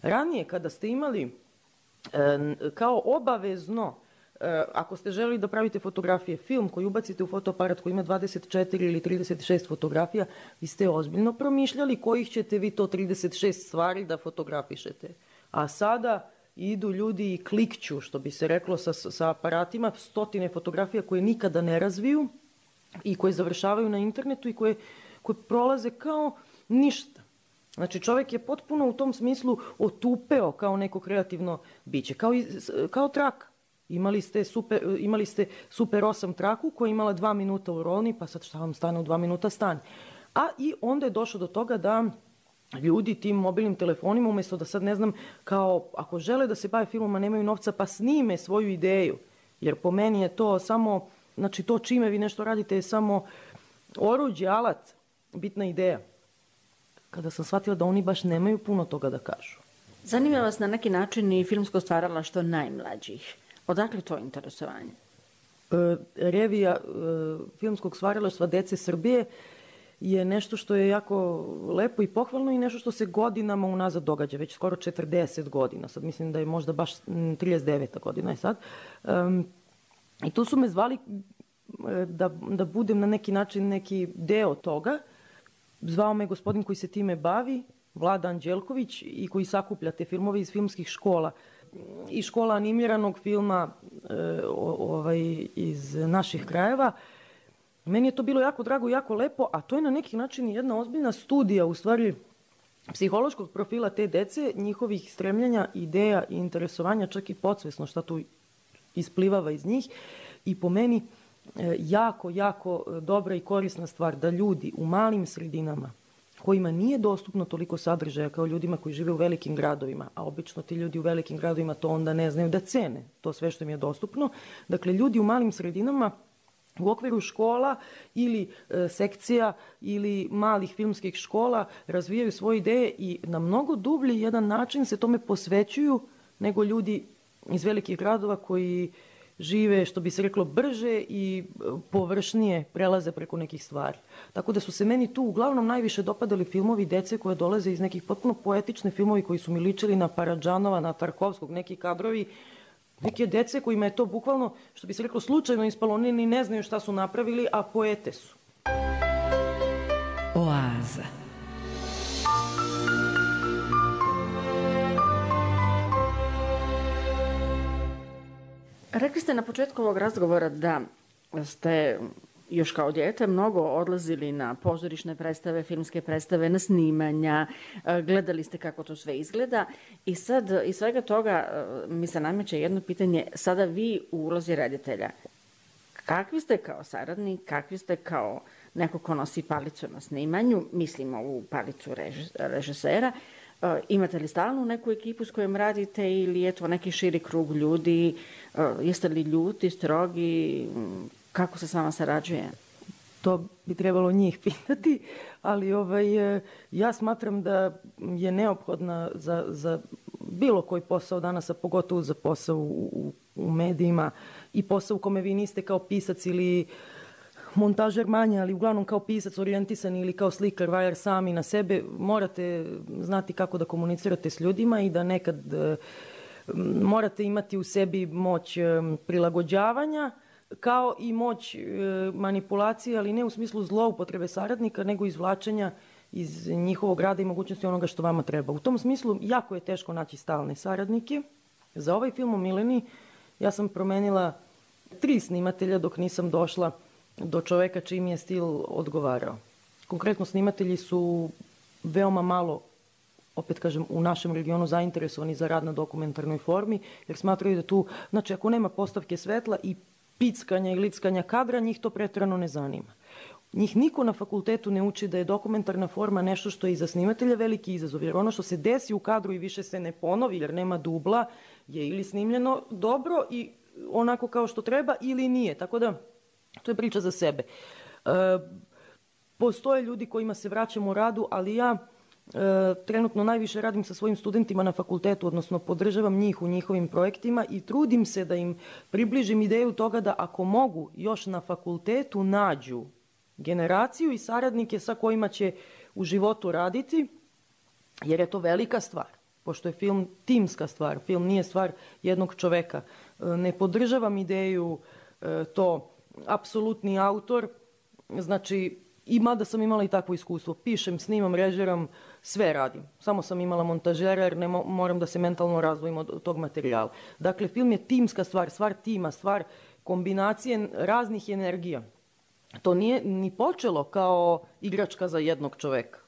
Ranije, kada ste imali kao obavezno, ako ste želeli da pravite fotografije, film koji ubacite u fotoaparat koji ima 24 ili 36 fotografija, vi ste ozbiljno promišljali kojih ćete vi to 36 stvari da fotografišete. A sada idu ljudi i klikću, što bi se reklo, sa aparatima, 100 fotografija koje nikada ne razviju i koje završavaju na internetu i koje prolaze kao ništa. Znači, čovjek je potpuno u tom smislu otupeo kao neko kreativno biće, kao traka. Imali ste Super 8 traku koja je imala 2 minuta u rolni, pa sad šta vam stane u 2 minuta, stane. A i onda je došlo do toga da ljudi tim mobilnim telefonima, umjesto da sad ne znam, kao ako žele da se bave filmom, a nemaju novca, pa snime svoju ideju. Jer po meni je to samo znači to čime vi nešto radite je samo oruđe, alat, bitna ideja. Kada sam shvatila da oni baš nemaju puno toga da kažu. Zanima vas na neki način i filmsko stvaralaštvo najmlađih. Odakle to interesovanje? Revija filmskog stvaralaštva Dece Srbije je nešto što je jako lepo i pohvalno i nešto što se godinama unazad događa, već skoro 40 godina. Sad mislim da je možda baš 39. godina je sad. I tu su me zvali da budem na neki način neki deo toga. Zvao me gospodin koji se time bavi, Vlada Anđelković, i koji sakuplja te filmove iz filmskih škola. I škola animiranog filma iz naših krajeva. Meni je to bilo jako drago i jako lepo, a to je na neki način jedna ozbiljna studija, u stvari, psihološkog profila te dece, njihovih stremljenja, ideja i interesovanja, čak i podsvesno šta tu isplivava iz njih. I po meni jako, jako dobra i korisna stvar da ljudi u malim sredinama, kojima nije dostupno toliko sadržaja kao ljudima koji žive u velikim gradovima, a obično ti ljudi u velikim gradovima to onda ne znaju da cene, to sve što im je dostupno. Dakle, ljudi u malim sredinama u okviru škola ili sekcija ili malih filmskih škola razvijaju svoje ideje i na mnogo dublji jedan način se tome posvećuju nego ljudi iz velikih gradova koji žive, što bi se reklo, brže i površnije prelaze preko nekih stvari. Tako da su se meni tu uglavnom najviše dopadali filmovi dece koje dolaze iz nekih potpuno poetične filmovi koji su mi ličili na Paradžanova, na Tarkovskog, neki kadrovi, neke dece kojima je to bukvalno, što bi se reklo, slučajno ispalo, oni ni ne znaju šta su napravili, a poete su. Oaza. Rekli ste na početku ovog razgovora da ste još kao dijete mnogo odlazili na pozorišne predstave, filmske predstave, na snimanja, gledali ste kako to sve izgleda i sad iz svega toga mi se nameće jedno pitanje, sada vi u ulozi reditelja. Kakvi ste kao saradnik, kakvi ste kao neko ko nosi palicu na snimanju, mislimo ovu palicu režisera, imate li stalnu neku ekipu s kojom radite ili je to neki širi krug ljudi, jeste li ljuti, strogi, kako se s vama sarađuje? To bi trebalo njih pitati, ali ja smatram da je neophodna za bilo koji posao danas, a pogotovo za posao u medijima i posao u kome vi niste kao pisac ili montažer manje, ali uglavnom kao pisac orijentisan ili kao slikar, vajar sami na sebe, morate znati kako da komunicirate s ljudima i da nekad morate imati u sebi moć prilagođavanja, kao i moć manipulacije, ali ne u smislu zloupotrebe saradnika, nego izvlačenja iz njihovog rada i mogućnosti onoga što vama treba. U tom smislu jako je teško naći stalne saradnike. Za ovaj film o Mileni ja sam promenila 3 snimatelja dok nisam došla do čoveka čiji mi je stil odgovarao. Konkretno snimatelji su veoma malo, opet kažem, u našem regionu zainteresovani za rad na dokumentarnoj formi, jer smatraju da tu, znači ako nema postavke svetla i pickanja i lickanja kadra, njih to preterano ne zanima. Njih niko na fakultetu ne uči da je dokumentarna forma nešto što je i za snimatelja veliki izazov, jer ono što se desi u kadru i više se ne ponovi, jer nema dubla, je ili snimljeno dobro i onako kao što treba ili nije. Tako da, to je priča za sebe. Postoje ljudi kojima se vraćamo u radu, ali ja trenutno najviše radim sa svojim studentima na fakultetu, odnosno podržavam njih u njihovim projektima i trudim se da im približim ideju toga da ako mogu još na fakultetu nađu generaciju i saradnike sa kojima će u životu raditi, jer je to velika stvar. Pošto je film timska stvar, film nije stvar jednog čoveka. Ne podržavam ideju to apsolutni autor, znači i mada sam imala i takvo iskustvo. Pišem, snimam, režiram, sve radim. Samo sam imala montažera jer ne moram da se mentalno razdvojim od tog materijala. Dakle, film je timska stvar, stvar tima, stvar kombinacije raznih energija. To nije ni počelo kao igračka za jednog čoveka.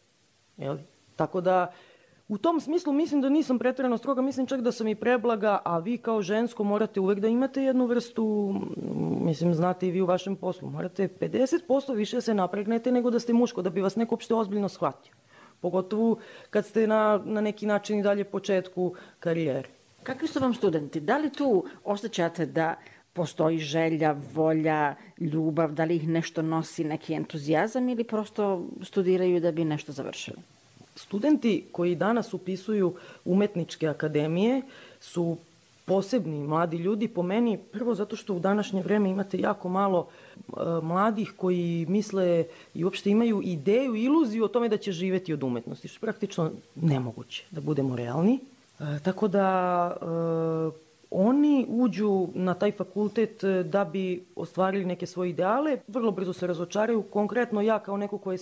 Jel? Tako da, u tom smislu mislim da nisam preterano stroga, mislim čak da sam i preblaga, a vi kao žensko morate uvek da imate jednu vrstu, mislim, znate i vi u vašem poslu, morate 50% više se napregnete nego da ste muško, da bi vas neko uopšte ozbiljno shvatio. Pogotovo kad ste na neki način i dalje početku karijere. Kakvi su vam studenti? Da li tu osjećate da postoji želja, volja, ljubav, da li ih nešto nosi, neki entuzijazam ili prosto studiraju da bi nešto završili? Studenti koji danas upisuju umetničke akademije su posebni mladi ljudi, po meni, prvo zato što u današnje vreme imate jako malo mladih koji misle i uopšte imaju ideju, iluziju o tome da će živeti od umetnosti, što je praktično nemoguće, da budemo realni. Tako da oni uđu na taj fakultet da bi ostvarili neke svoje ideale, vrlo brzo se razočaraju. Konkretno ja kao neko koji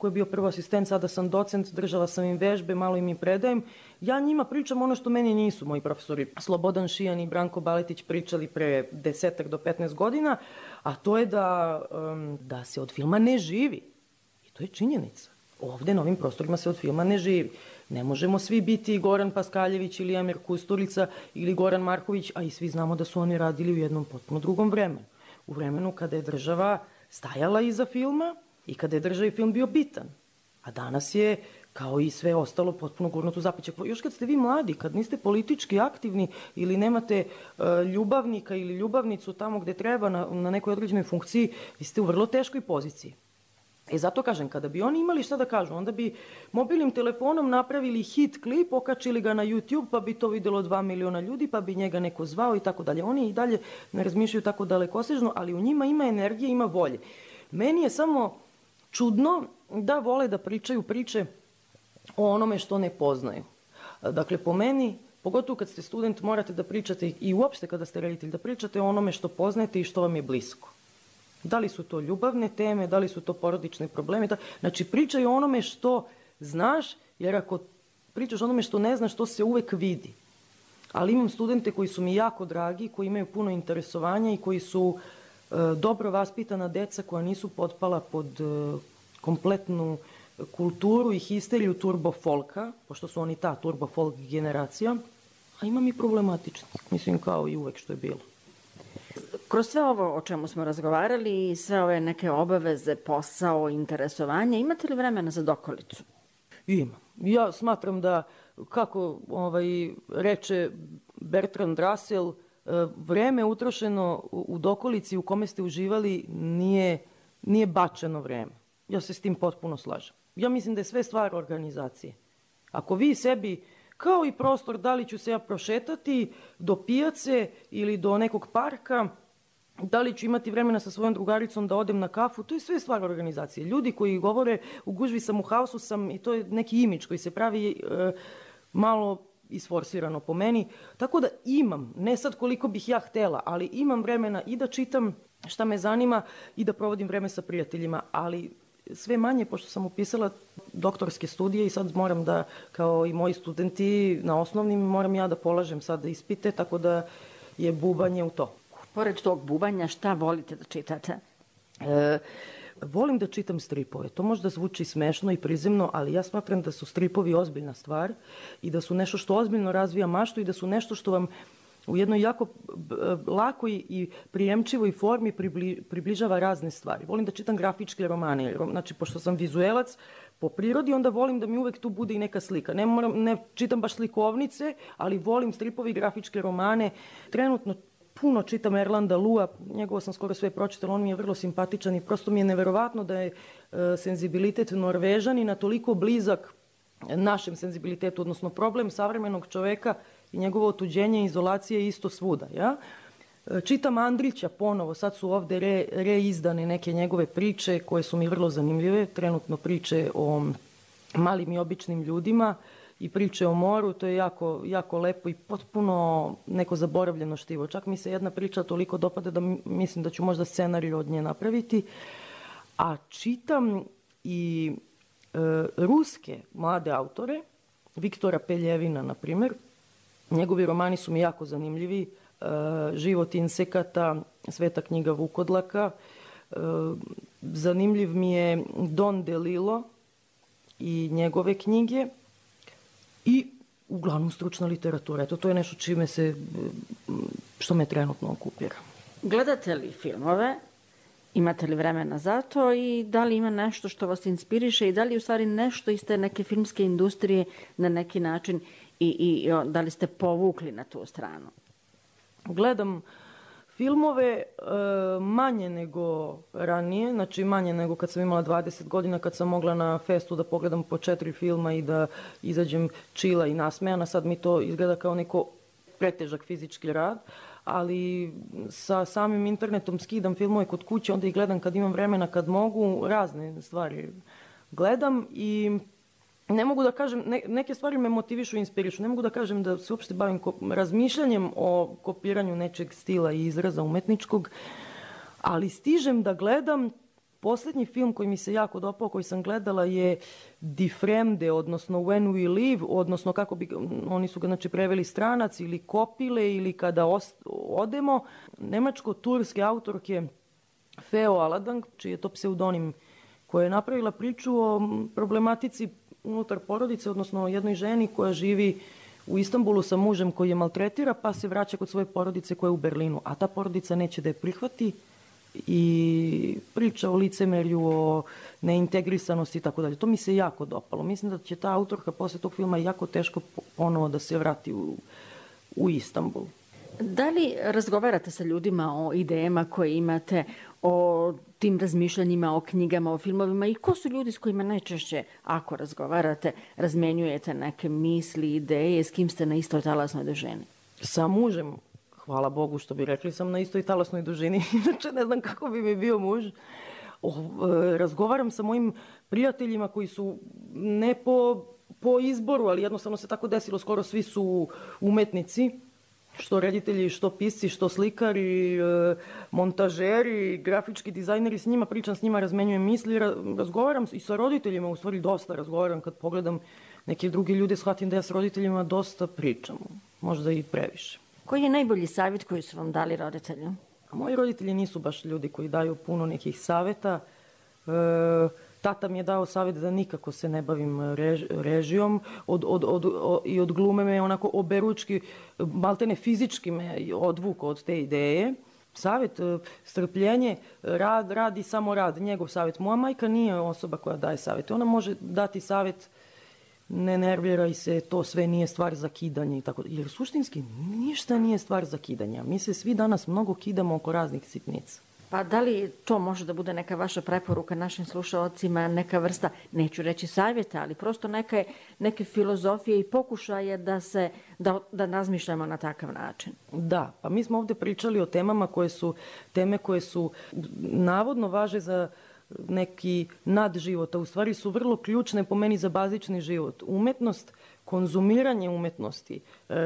je bio prvo asistent, sada sam docent, držala sam im vežbe, malo im predajem. Ja njima pričam ono što meni nisu moji profesori Slobodan Šijan i Branko Baletić pričali pre 10 do 15 godina, a to je da se od filma ne živi. I to je činjenica. Ovde na ovim prostorima se od filma ne živi. Ne možemo svi biti Goran Paskaljević ili Emir Kusturica ili Goran Marković, a i svi znamo da su oni radili u jednom potpuno drugom vremenu. U vremenu kada je država stajala iza filma i kada je državi film bio bitan. A danas je, kao i sve ostalo, potpuno gurnuto u zapećak. Još kad ste vi mladi, kad niste politički aktivni ili nemate ljubavnika ili ljubavnicu tamo gde treba na nekoj određenoj funkciji, vi ste u vrlo teškoj poziciji. Zato kažem, kada bi oni imali šta da kažu, onda bi mobilnim telefonom napravili hit klip, okačili ga na YouTube, pa bi to videlo 2 miliona ljudi, pa bi njega neko zvao i tako dalje. Oni i dalje ne razmišljaju tako dalekosežno, ali u njima ima energije, ima volje. Meni je samo čudno da vole da pričaju priče o onome što ne poznaju. Dakle, po meni, pogotovo kad ste student, morate da pričate i uopšte kada ste roditelj, da pričate o onome što poznajete i što vam je blisko. Da li su to ljubavne teme, da li su to porodične probleme. Znači, pričaj o onome što znaš, jer ako pričaš o onome što ne znaš, to se uvek vidi. Ali imam studente koji su mi jako dragi, koji imaju puno interesovanja i koji su dobro vaspitana deca koja nisu potpala pod kompletnu kulturu i histeriju turbo folka, pošto su oni ta turbo folk generacija, a imam i problematični, mislim kao i uvek što je bilo. Kroz sve ovo o čemu smo razgovarali i sve ove neke obaveze, posao, interesovanje, imate li vremena za dokolicu? Imam. Ja smatram da, kako reče Bertrand Russell, vreme utrošeno u dokolici u kome ste uživali nije bačeno vreme. Ja se s tim potpuno slažem. Ja mislim da je sve stvar organizacije. Ako vi sebi, kao i prostor, da li ću se ja prošetati do pijace ili do nekog parka, da li ću imati vremena sa svojom drugaricom da odem na kafu, to je sve stvar organizacije. Ljudi koji govore u gužvi sam, u haosu sam, i to je neki imidž koji se pravi malo isforsirano po meni. Tako da imam, ne sad koliko bih ja htela, ali imam vremena i da čitam šta me zanima i da provodim vreme sa prijateljima, ali sve manje, pošto sam upisala doktorske studije i sad moram da, kao i moji studenti na osnovnim, moram ja da polažem sad ispite, tako da je bubanje u to. Pored tog bubanja, šta volite da čitate? Volim da čitam stripove. To možda zvuči smešno i prizemno, ali ja smatram da su stripovi ozbiljna stvar i da su nešto što ozbiljno razvija maštu i da su nešto što vam u jednoj jako lakoj i prijemčivoj formi približava razne stvari. Volim da čitam grafičke romane. Znači, pošto sam vizuelac po prirodi, onda volim da mi uvek tu bude i neka slika. Ne čitam baš slikovnice, ali volim stripove i grafičke romane. Trenutno puno čitam Erlanda Lua, njegovo sam skoro sve pročitala, on mi je vrlo simpatičan i prosto mi je neverovatno da je senzibilitet Norvežanina toliko blizak našem senzibilitetu, odnosno problem savremenog čoveka i njegovo otuđenje i izolacije je isto svuda. Ja? Čitam Andrića ponovo, sad su ovde reizdane neke njegove priče koje su mi vrlo zanimljive, trenutno priče o malim i običnim ljudima i priče o moru, to je jako, jako lepo i potpuno neko zaboravljeno štivo. Čak mi se jedna priča toliko dopada da mislim da ću možda scenarij od nje napraviti. A čitam i ruske mlade autore, Viktora Peljevina, na primjer. Njegovi romani su mi jako zanimljivi. Život insekata, Sveta knjiga Vukodlaka. Zanimljiv mi je Don DeLillo i njegove knjige. I uglavnom stručna literatura. Eto, to je nešto što me trenutno okupira. Gledate li filmove? Imate li vremena za to i da li ima nešto što vas inspiriše i da li u stvari nešto iz te neke filmske industrije na neki način i da li ste povukli na tu stranu? Gledam filmove manje nego ranije, znači manje nego kad sam imala 20 godina, kad sam mogla na festu da pogledam po 4 filma i da izađem čila i nasmejana. Sad mi to izgleda kao neko pretežak fizički rad, ali sa samim internetom skidam filmove kod kuće, onda ih gledam kad imam vremena, kad mogu, razne stvari gledam i ne mogu da kažem, neke stvari me motivišu i inspirišu, ne mogu da kažem da se uopšte bavim razmišljanjem o kopiranju nečeg stila i izraza umetničkog, ali stižem da gledam. Poslednji film koji mi se jako dopao, koji sam gledala, je Die Fremde, odnosno When We Leave, odnosno kako bi, oni su ga znači preveli Stranac ili Kopile ili Kada odemo, nemačko-turske autorke Feo Aladang, čiji je to pseudonim, koja je napravila priču o problematici unutar porodice, odnosno o jednoj ženi koja živi u Istanbulu sa mužem koji je maltretira, pa se vraća kod svoje porodice koja je u Berlinu, a ta porodica neće da je prihvati i priča o licemerju, o neintegrisanosti i tako dalje. To mi se jako dopalo. Mislim da će ta autorka posle tog filma jako teško ponovo da se vrati u Istanbul. Da li razgovarate sa ljudima o idejama koje imate, o tim razmišljanjima, o knjigama, o filmovima i ko su ljudi s kojima najčešće, ako razgovarate, razmenjujete neke misli, ideje, s kim ste na istoj talasnoj dužini? Sa mužem, hvala Bogu što bi rekli, sam na istoj talasnoj dužini, inače ne znam kako bi mi bio muž. Razgovaram sa mojim prijateljima koji su ne po izboru, ali jednostavno se tako desilo, skoro svi su umetnici, što reditelji, što pisci, što slikari, montažeri, grafički dizajneri, s njima pričam, s njima razmenjujem misli, razgovaram i sa roditeljima, u stvari dosta razgovaram, kad pogledam neke druge ljude, shvatim da ja s roditeljima dosta pričam, možda i previše. Koji je najbolji savjet koji su vam dali roditelji? Moji roditelji nisu baš ljudi koji daju puno nekih saveta. Tata mi je dao savjet da nikako se ne bavim režijom i od glume me onako oberučki, maltene fizički me odvukao od te ideje. Savjet, strpljenje, rad i samo rad, njegov savjet. Moja majka nije osoba koja daje savjet. Ona može dati savjet, ne nerviraj se, to sve nije stvar za kidanje i tako. Jer suštinski ništa nije stvar za kidanja. Mi se svi danas mnogo kidamo oko raznih sitnica. Pa da li to može da bude neka vaša preporuka našim slušalcima, neka vrsta, neću reći savjeta, ali prosto neke filozofije i pokušaje da razmišljamo na takav način? Da, pa mi smo ovde pričali o temama koje su navodno važe za neki nadživot, a u stvari su vrlo ključne po meni za bazični život. Umetnost, konzumiranje umetnosti,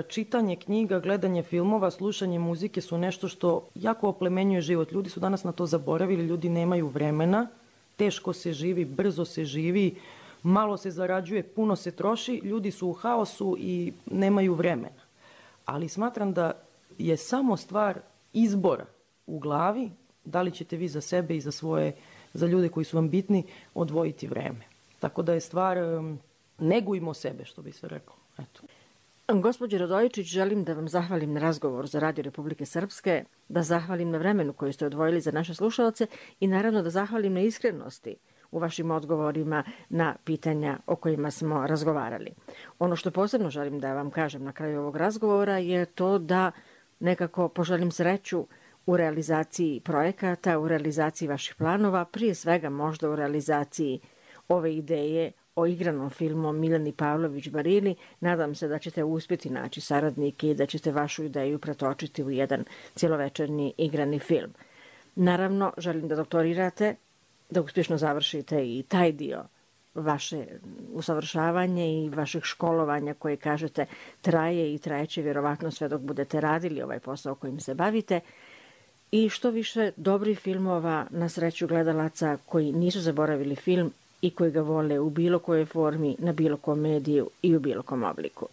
čitanje knjiga, gledanje filmova, slušanje muzike su nešto što jako oplemenjuje život. Ljudi su danas na to zaboravili, ljudi nemaju vremena, teško se živi, brzo se živi, malo se zarađuje, puno se troši, ljudi su u haosu i nemaju vremena. Ali smatram da je samo stvar izbora u glavi, da li ćete vi za sebe i za ljude koji su vam bitni odvojiti vreme. Tako da je stvar, negujmo sebe, što bi se reklo. Eto. Gospođo Radojičić, želim da vam zahvalim na razgovor za Radio Republike Srpske, da zahvalim na vremenu koju ste odvojili za naše slušalce i naravno da zahvalim na iskrenosti u vašim odgovorima na pitanja o kojima smo razgovarali. Ono što posebno želim da vam kažem na kraju ovog razgovora je to da nekako poželim sreću u realizaciji projekata, u realizaciji vaših planova, prije svega možda u realizaciji ove ideje o igranom filmu Miljani Pavlović Barili. Nadam se da ćete uspjeti naći saradnike i da ćete vašu ideju pretočiti u jedan cjelovečernji igrani film. Naravno, želim da doktorirate, da uspješno završite i taj dio vaše usavršavanje i vašeg školovanja koje, kažete, traje i trajeće vjerovatno sve dok budete radili ovaj posao kojim se bavite. I što više dobrih filmova na sreću gledalaca koji nisu zaboravili film i koji ga vole u bilo kojoj formi, na bilo kom mediju i u bilo kom obliku.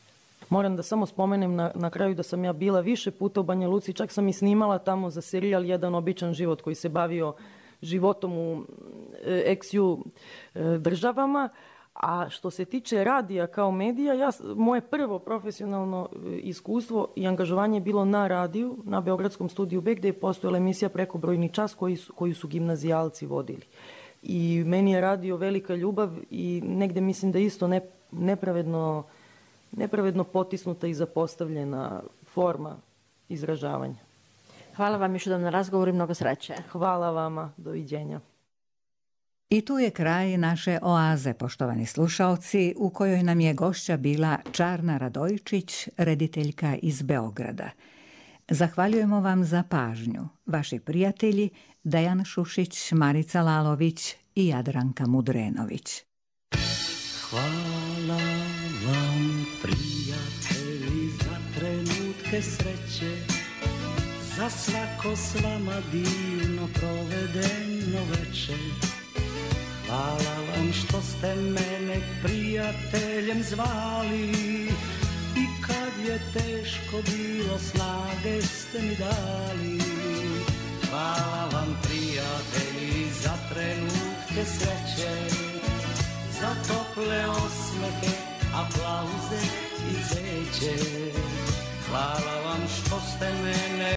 Moram da samo spomenem na kraju da sam ja bila više puta u Banja Luci, čak sam i snimala tamo za serijal Jedan običan život koji se bavio životom u ex-ju državama. A što se tiče radija kao medija, moje prvo profesionalno iskustvo i angažovanje je bilo na radiju, na Beogradskom studiju B, gde je postojala emisija Prekobrojni čas koju su gimnazijalci vodili. I meni je radio velika ljubav i negde mislim da isto nepravedno potisnuta i zapostavljena forma izražavanja. Hvala vam još jednom na razgovoru i mnogo sreće. Hvala vama, doviđenja. I tu je kraj naše oaze, poštovani slušaoci, u kojoj nam je gošća bila Čarna Radojčić, rediteljka iz Beograda. Zahvaljujemo vam za pažnju, vaši prijatelji Dejan Šušić, Marica Lalović i Jadranka Mudrenović. Hvala vam, prijatelji, za trenutke sreće, za svako s vama divno provedeno veče. Hvala vam što ste mene prijateljem zvali i kad je teško bilo snage ste mi dali. Hvala vam, prijatelji, za trenutke sreće, za tople osmehe, aplauze i zeće. Hvala vam što ste mene